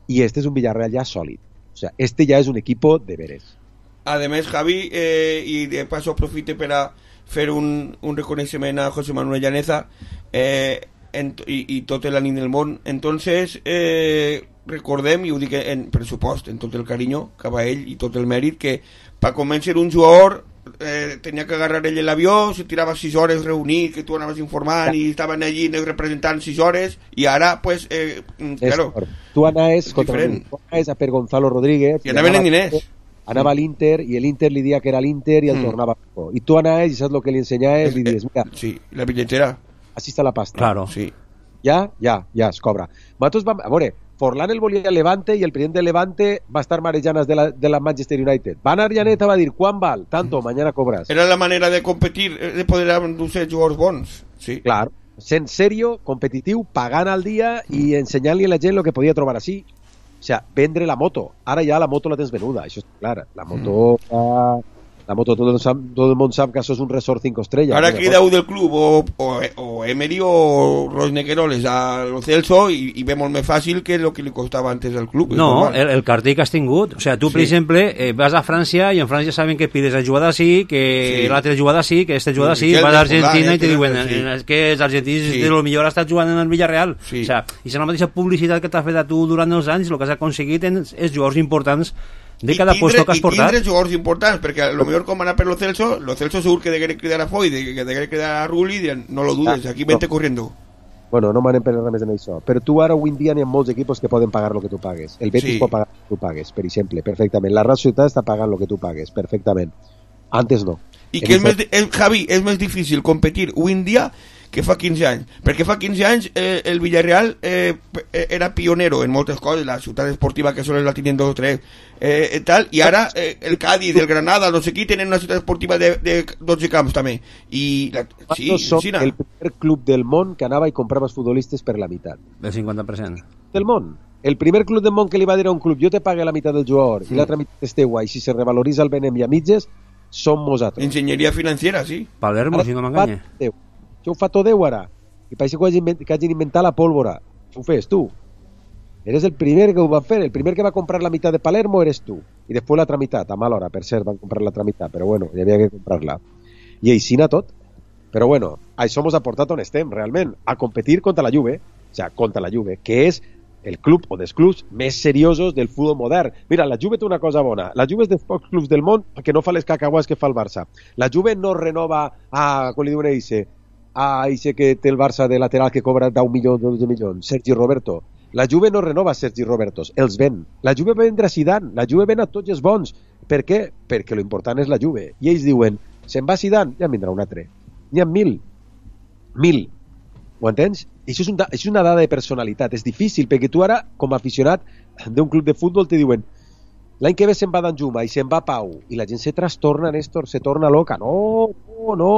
i este és un Villarreal ja sòlid. O sea, este ya es un equipo de veres. Además, Javi, eh, y de paso aprofite para hacer un, un reconocimiento a José Manuel Llaneza eh, en, y, y tot l'ànim del món. Entonces, eh, recordem, i ho dic en pressupost, en tot el carinyo cap a ell i tot el mèrit, que per convèncer un jugador eh, tenia que agarrar ell l'avió, se tirava sis hores reunit, que tu anaves informant i estaven allí representant sis hores, i ara, pues, eh, claro, tu anaves, és contra, diferent. tu anaves a per Gonzalo Rodríguez I anaven en diners. Anava a l'Inter i l'Inter li dia que era l'Inter i el Mm. tornava. I tu anaves i saps el que li ensenyaves, li dius, mira, sí, la billetera. Així està la pasta. Claro. Sí. Ja, ja, ja, es cobra. Nosaltres vam, a veure, Forlán el volia el Levante i el president del Levante va estar marejanes de la, de la Manchester United. Van a Llaneta va dir, ¿cuán val? Tanto, mañana cobras. Era la manera de competir, de poder anunciar jugadors bons. Sí. Clar, sent serio, competitiu, pagant al dia i ensenyant-li a la gent el que podia trobar així. O sea, vendre la moto. Ara ja la moto la tens venuda, això està clar. La moto... Mm. La moto, tot el, tot el món sap que això és un resort cinco estrellas. Ahora queda del club o, o, o Emery o Roy Negueroles a Lo Celso y, y vemos más fácil que lo que le costaba antes al club. No, el, el cartell que has tingut. O sea, tu, per Sí. exemple, eh, vas a França i en França saben que pides la jugada sí, que Sí. l'altra jugada sí, que esta jugada sí, Sí, vas a Argentina Forlán, i te diuen sí. eh, és que els argentins Sí. de lo millor ha estat jugant en el Villarreal. Sí. O sea, i és la mateixa publicitat que t'ha fet a tu durant els anys, el que has aconseguit en, és jugadors importants de cada I puesto que has i portat. tindre jugadors importants, perquè a lo millor com anar per Lo Celso, Lo Celso segur que degué cridar a Foy, que degué cridar a Rulli, diran, no lo dudes, aquí vente corriendo. Bueno, no m'anem per res més en això. Però tu ara avui en dia n'hi ha molts equipos que poden pagar el que tu pagues. El Betis Sí. pot pagar el que tu pagues, per exemple, perfectament. La Real Societat està pagant el que tu pagues, perfectament. Antes no. I En que és esta- més, di- és, Javi, és més difícil competir avui en dia que fa quinze anys, perquè fa quinze anys eh, el Villarreal eh, p- era pionero en moltes coses, la ciutat esportiva que sols la tenien dos o tres eh, eh, tal, i ara eh, el Cádiz, el Granada, no sé qui tenen una ciutat esportiva de, de dotze camps també, i la, sí, Nosaltres som sí, el primer club del món que anava i comprava els futbolistes per la meitat. El cinquanta per cent. Del món. El primer club del món que li va dir a un club, jo te pague la meitat del jugador i Mm. l'altra meitat és teua, i si se revaloritza el venem i a mitges, som nosaltres. enginyeria financera, sí. Palermo, si no m'enganya. Déu. Això ho fa tot Déu ara. I pareix que, hagin, invent- que hagin inventat la pólvora. Això ho fes tu. Eres el primer que ho va fer. El primer que va comprar la meitat de Palermo eres tu. I després l'altra meitat, a mala hora, per cert, van comprar l'altra meitat, però bueno, hi havia que comprar-la. I aixina tot. Però bueno, això mos ha portat on estem, realment, a competir contra la Juve, o sea, contra la Juve, que és el club o dels clubs més seriosos del futbol modern. Mira, la Juve té una cosa bona. La Juve és dels pocs clubs del món que no fa les cacahuas que fa el Barça. La Juve no renova a, com li diuen a Ise, a Ise que té el Barça de lateral que cobra deu milions, dotze milions, Sergi Roberto. La Juve no renova Sergi Robertos, els ven. La Juve va vendre a Zidane, la Juve ven a tots els bons. Per què? Perquè lo important és la Juve. I ells diuen, se'n va Zidane, ja en vindrà un altre. N'hi ha mil. Mil. Ho entens? això és, un da, és una dada de personalitat, és difícil, perquè tu ara, com a aficionat d'un club de futbol, te diuen l'any que ve se'n va Danjuma i se'n va Pau, i la gent se trastorna, Néstor, se torna loca. No, no, no.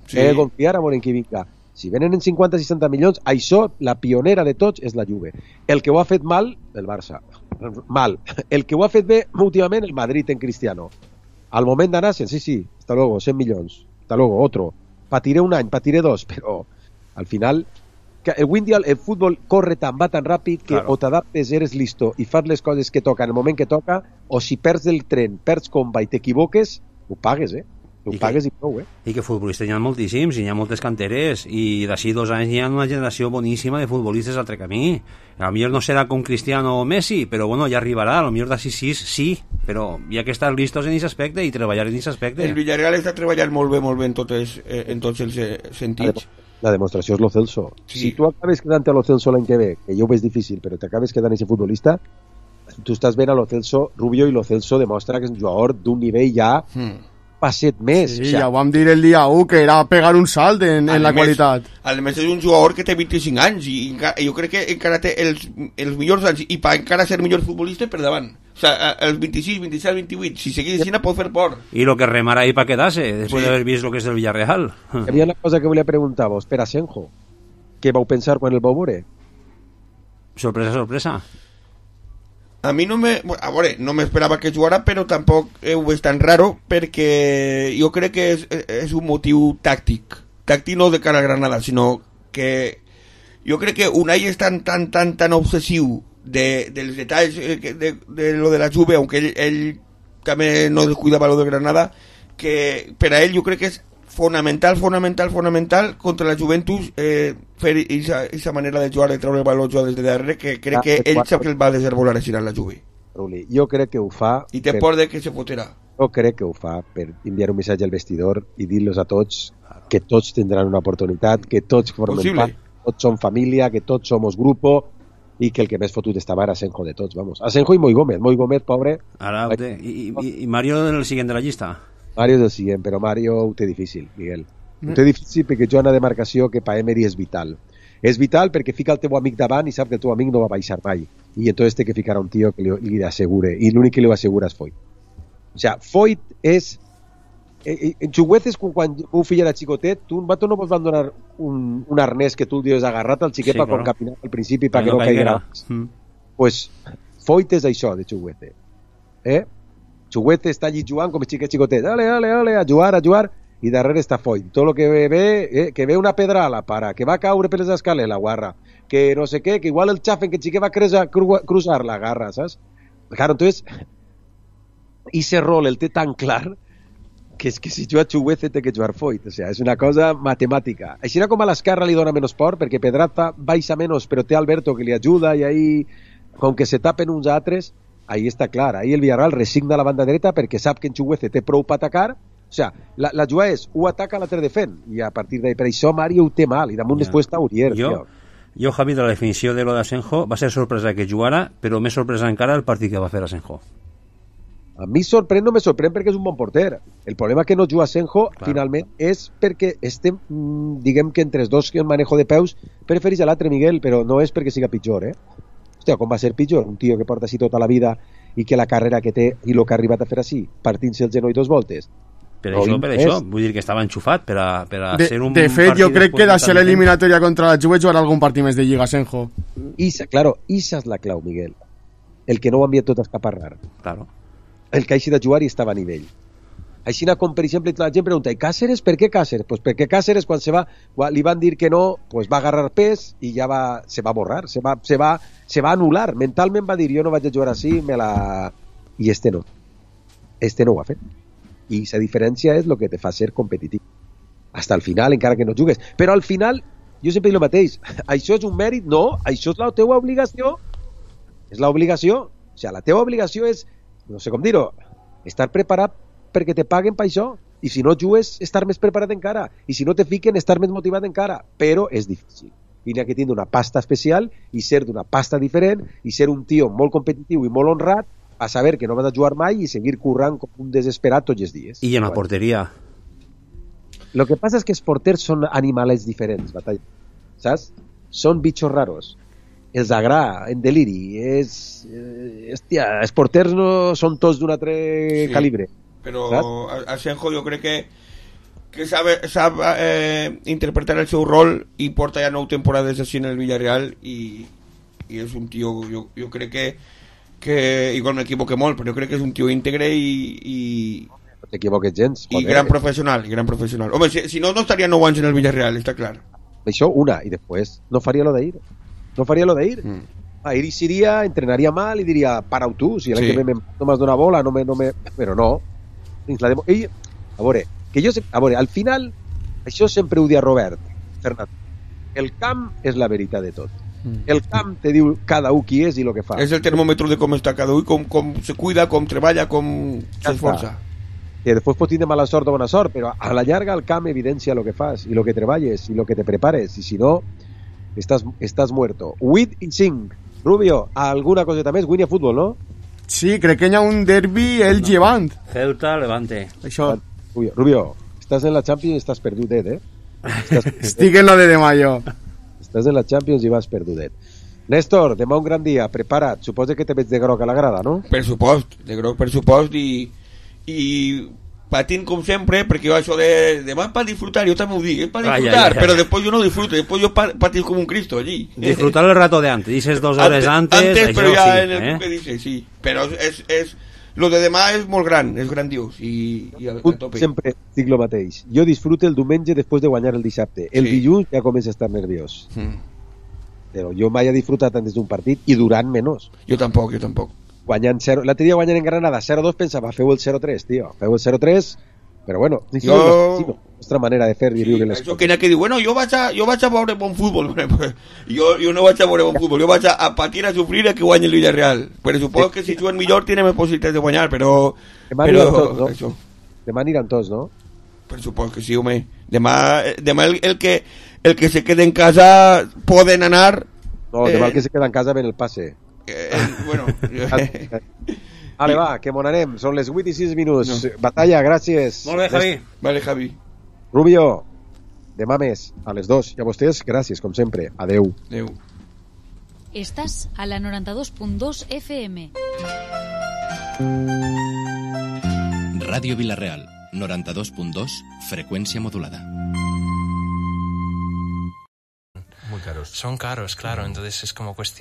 Sí. He de confiar en qui vinga. Si venen en cinquanta seixanta milions, això, la pionera de tots, és la Juve. El que ho ha fet mal, el Barça. Mal. El que ho ha fet bé, últimament, el Madrid en Cristiano. Al moment d'anar, sí, sí, hasta luego, cent milions. Hasta luego, otro. Patiré un any, patiré dos, però al final el Windy, el futbol corre tan, va tan ràpid que claro. O t'adaptes, eres listo i fas les coses que toca en el moment que toca, o si perds el tren, perds comba i t'equivoques, ho pagues, eh? Ho I pagues que, i prou, eh? I que futbolistes hi ha moltíssims, hi ha moltes canteres, i d'ací dos anys hi ha una generació boníssima de futbolistes altre camí. A lo millor no serà com Cristiano o Messi, però bueno, ja arribarà, a lo millor d'ací sis, sí, però hi ha que estar listos en aquest aspecte i treballar en aquest aspecte. El Villarreal està treballant molt bé, molt bé en, totes, eh, en tots els eh, sentits. La demostració és Lo Celso. Sí. Si tu acabes quedant a Lo Celso l'any que ve, que jo ho veig difícil, però t'acabes quedant a aquest futbolista, tu estàs veient a Lo Celso Rubio, i Lo Celso demostra que és un jugador d'un nivell ja hmm. passet més. Sí, o sea, ja ho vam dir el dia u, que era pegar un salt en, en la més, qualitat. A més és un jugador que té vint-i-cinc anys i encara, jo crec que encara té els, els millors anys i per encara ser millor futbolista per davant. O sea, els vint-i-sis, vint-i-set, vint-i-vuit, si seguís així pot fer por. I lo que remarà ahí para quedarse, después sí. de haber visto lo que es el Villarreal. Hi havia una cosa que volia preguntar-vos, per Asenjo, què vau pensar quan el vau veure? Sorpresa, sorpresa. A mi no me... A veure, no m'esperava que jugara, però tampoc ho veig tan raro, perquè jo crec que és, és un motiu tàctic. Tàctic no de cara a Granada, sinó que jo crec que Unai és tan, tan, tan, tan obsessiu de, dels detalls de, de, de lo de la Juve, aunque ell, ell també no descuidava lo de Granada, que per a ell jo crec que és fonamental, fonamental, fonamental contra la Juventus eh, fer aquesta manera de jugar, de treure el valor des de darrere, que crec que ell sap que el va desenvolupar així en la Juve. Ruli, jo crec que ho fa... I té per... por de que se fotrà. Jo crec que ho fa per enviar un missatge al vestidor i dir-los a tots que tots tindran una oportunitat, que tots formen part, tots som família, que tots somos grupo, i que el que més fotut estava era Asenjo de tots, vamos. Asenjo i Moi Gómez, Moi Gómez, pobre... Ara, te... I, i, I Mario en el siguiente de la llista? Mario és el siguiente, però Mario ho té difícil, Miguel. Ho té difícil perquè jo una demarcació que per Emery és vital. És vital perquè fica el teu amic davant i sap que el teu amic no va baixar mai. I entonces té que ficar a un tio que li, li assegure. I l'únic que li assegura és Foyt. O sea, Foyt és... En Chugueces, quan un fill era xicotet, tu un vato no pots donar un, un arnès que tu el dius agarrat al xiquet sí, per quan caminar al principi perquè no, no caiguera. Mm. Pues Foyt és això de Chuguete. Eh? Chuguete està allí jugant com el xiquet xicotet. Dale, dale, dale, a jugar, a jugar. I darrere està Foyt. Tot el que ve, eh, que ve una pedra a la para, que va caure per les escales, la guarra. Que no sé què, que igual el xafen que el xiquet va cruzar, cruzar la garra, saps? Claro, entonces, ese rol el té tan clar que és que si juga Chuguete té que jugar Foyt. O sea, és una cosa matemàtica. Així com a l'esquerra li dona menys por, perquè Pedraza baixa menys, però té Alberto que li ajuda, i ahí, com que se tapen uns altres, ahí està clar. Ahí el Villarreal resigna la banda dreta perquè sap que en Chuguete té prou per atacar. O sea, la, la jugada és, ho ataca, l'altre defèn, i a partir d'ahí, per això Mario ho té mal, i damunt ja. Després està Urier. Jo, jo, Javi, de la definició de lo d'Asenjo, va ser sorpresa que jugara, però més sorpresa encara el partit que va fer Asenjo. A mi sorprèn, no me sorprèn perquè és un bon porter. El problema que no juga Asenjo, claro. Finalment, és perquè este, diguem que entre els dos que el manejo de peus, prefereix a l'altre, Miguel, però no és perquè siga pitjor, eh? Hòstia, com va ser pitjor? Un tio que porta així tota la vida i que la carrera que té i el que ha arribat a fer així, partint-se el genoll dos voltes. Per això, per això, vull dir que estava enxufat per a, per a de, ser un de fet, jo crec que d'això l'eliminatòria contra la Juve jugarà algun partit més de Lliga, Asenjo. Isa, claro, isa és la clau, Miguel. El que no ho envia tot a escaparrar. Claro. El que hagi de jugar i estava a nivell. Així com, per exemple, la gent pregunta, i Cáceres, per què Cáceres? Pues perquè Cáceres, quan se va, li van dir que no, pues va agarrar pes i ja va, se va borrar, se va, se va, se va anul·lar. Mentalment va dir, jo no vaig a jugar així, me la... I este no. Este no ho ha fet. I la diferència és el que te fa ser competitiu. Hasta el final, encara que no jugues. Però al final, jo sempre dic el mateix, això és un mèrit? No, això és la teva obligació. És l'obligació. O sigui, la teva obligació és, no sé com dir-ho, estar preparat perquè te paguen per això. I si no jugues, estar més preparat encara. I si no te fiquen, estar més motivat encara. Però és difícil. I n'hi ha que tindre una pasta especial i ser d'una pasta diferent i ser un tio molt competitiu i molt honrat a saber que no vas a jugar mai i seguir currant com un desesperat tots els dies. I en la porteria? Lo que passa és que els porters són animals diferents, Batalla. Saps? O són bitxos raros. Els agrada, en deliri. És, eh, hòstia, els porters no són tots d'un altre sí, calibre. Però saps? Asenjo jo crec que que sabe, sabe eh, interpretar el seu rol i porta ja nou temporades així en el Villarreal i, i és un tio, jo, jo crec que, que igual m'equivoque molt, però jo crec que és un tio íntegre i, i no t'equivoques gens, i gran professional, i gran professional. Home, si, si no, no estaria nou anys en el Villarreal, està clar. Això, una, i després no faria lo de ir. No faria lo de ir. Mm. A ir iria, entrenaria mal i diria, para-ho tu, si l'any sí. que ve no m'has donat bola, no me, no me... però no. La demo... Ell, a veure, que jo, a veure, al final, això sempre ho dia Robert Fernández. El camp és la veritat de tot. Mm. El camp te diu cada un qui és i el que fa. És el termòmetre de com està cada un, com, com se cuida, com treballa, com ja s'esforça. Que després pot tindre mala sort o bona sort, però a la llarga el camp evidencia el que fas, i el que treballes, i el que te prepares, i si no, estàs, estàs muerto. vuit i cinc. Rubio, alguna coseta més? Guinya futbol, no? Sí, crec que hi ha un derbi el no. Llevant. Ceuta, Levante. Això. Rubio, Rubio, estàs en la Champions i estàs perdudet, eh? Estàs Estic en la de demà, jo. Estàs en la Champions i vas perdudet. Néstor, demà un gran dia, prepara't. Suposa que te veig de groc a la grada, no? Per supost, de groc per supost i... i patint com sempre, perquè jo això de demà per disfrutar, jo també ho dic, és per disfrutar, ai, ai, ai. Però després jo no disfruto, després jo patís com un Cristo allí. Disfrutar el rato de antes, dices dos hores antes, antes, antes però ja sí, en el eh? que dices, sí, però és, és, lo de demà és molt gran, és grandiós i, i a, a tope. Sempre dic el mateix, jo disfruto el diumenge després de guanyar el dissabte, el sí. dilluns ja comença a estar nerviós, mm. però jo mai he disfrutat antes d'un partit i durant menys. Jo tampoc, jo tampoc. Guanyant zero, l'altre dia guanyant en Granada zero dos pensava, feu el zero tres, tio, feu el zero tres, però bueno, jo... és la nostra manera de fer i sí, viure les coses. Que n'hi ha que dir, bueno, jo vaig a, jo vaig a veure bon futbol, jo, jo no vaig a veure bon futbol, jo vaig a, a patir, a sofrir a que guanyi el Villarreal, però suposo que si juguen millor tienen més possibilitats de guanyar, però... Demà però, aniran tots, no? Això. Demà aniran tots, no? Per suposo que sí, home. Demà, demà el, el, que, el que se quede en casa poden anar... No, demà eh, el que se queda en casa ven el passe. Eh, bueno... Vale, va, que mon anem. Són les vuit i sis minuts. No. Batalla, gràcies. Molt bé, Javi. Vale, Javi. Rubio, demà més, a les dos. I a vostès, gràcies, com sempre. Adeu. Adeu. Estàs a la noranta-dos punt dos F M. Radio Villarreal, noranta-dos punt dos, frecuencia modulada. Muy caros. Son caros, claro, entonces es como cuestión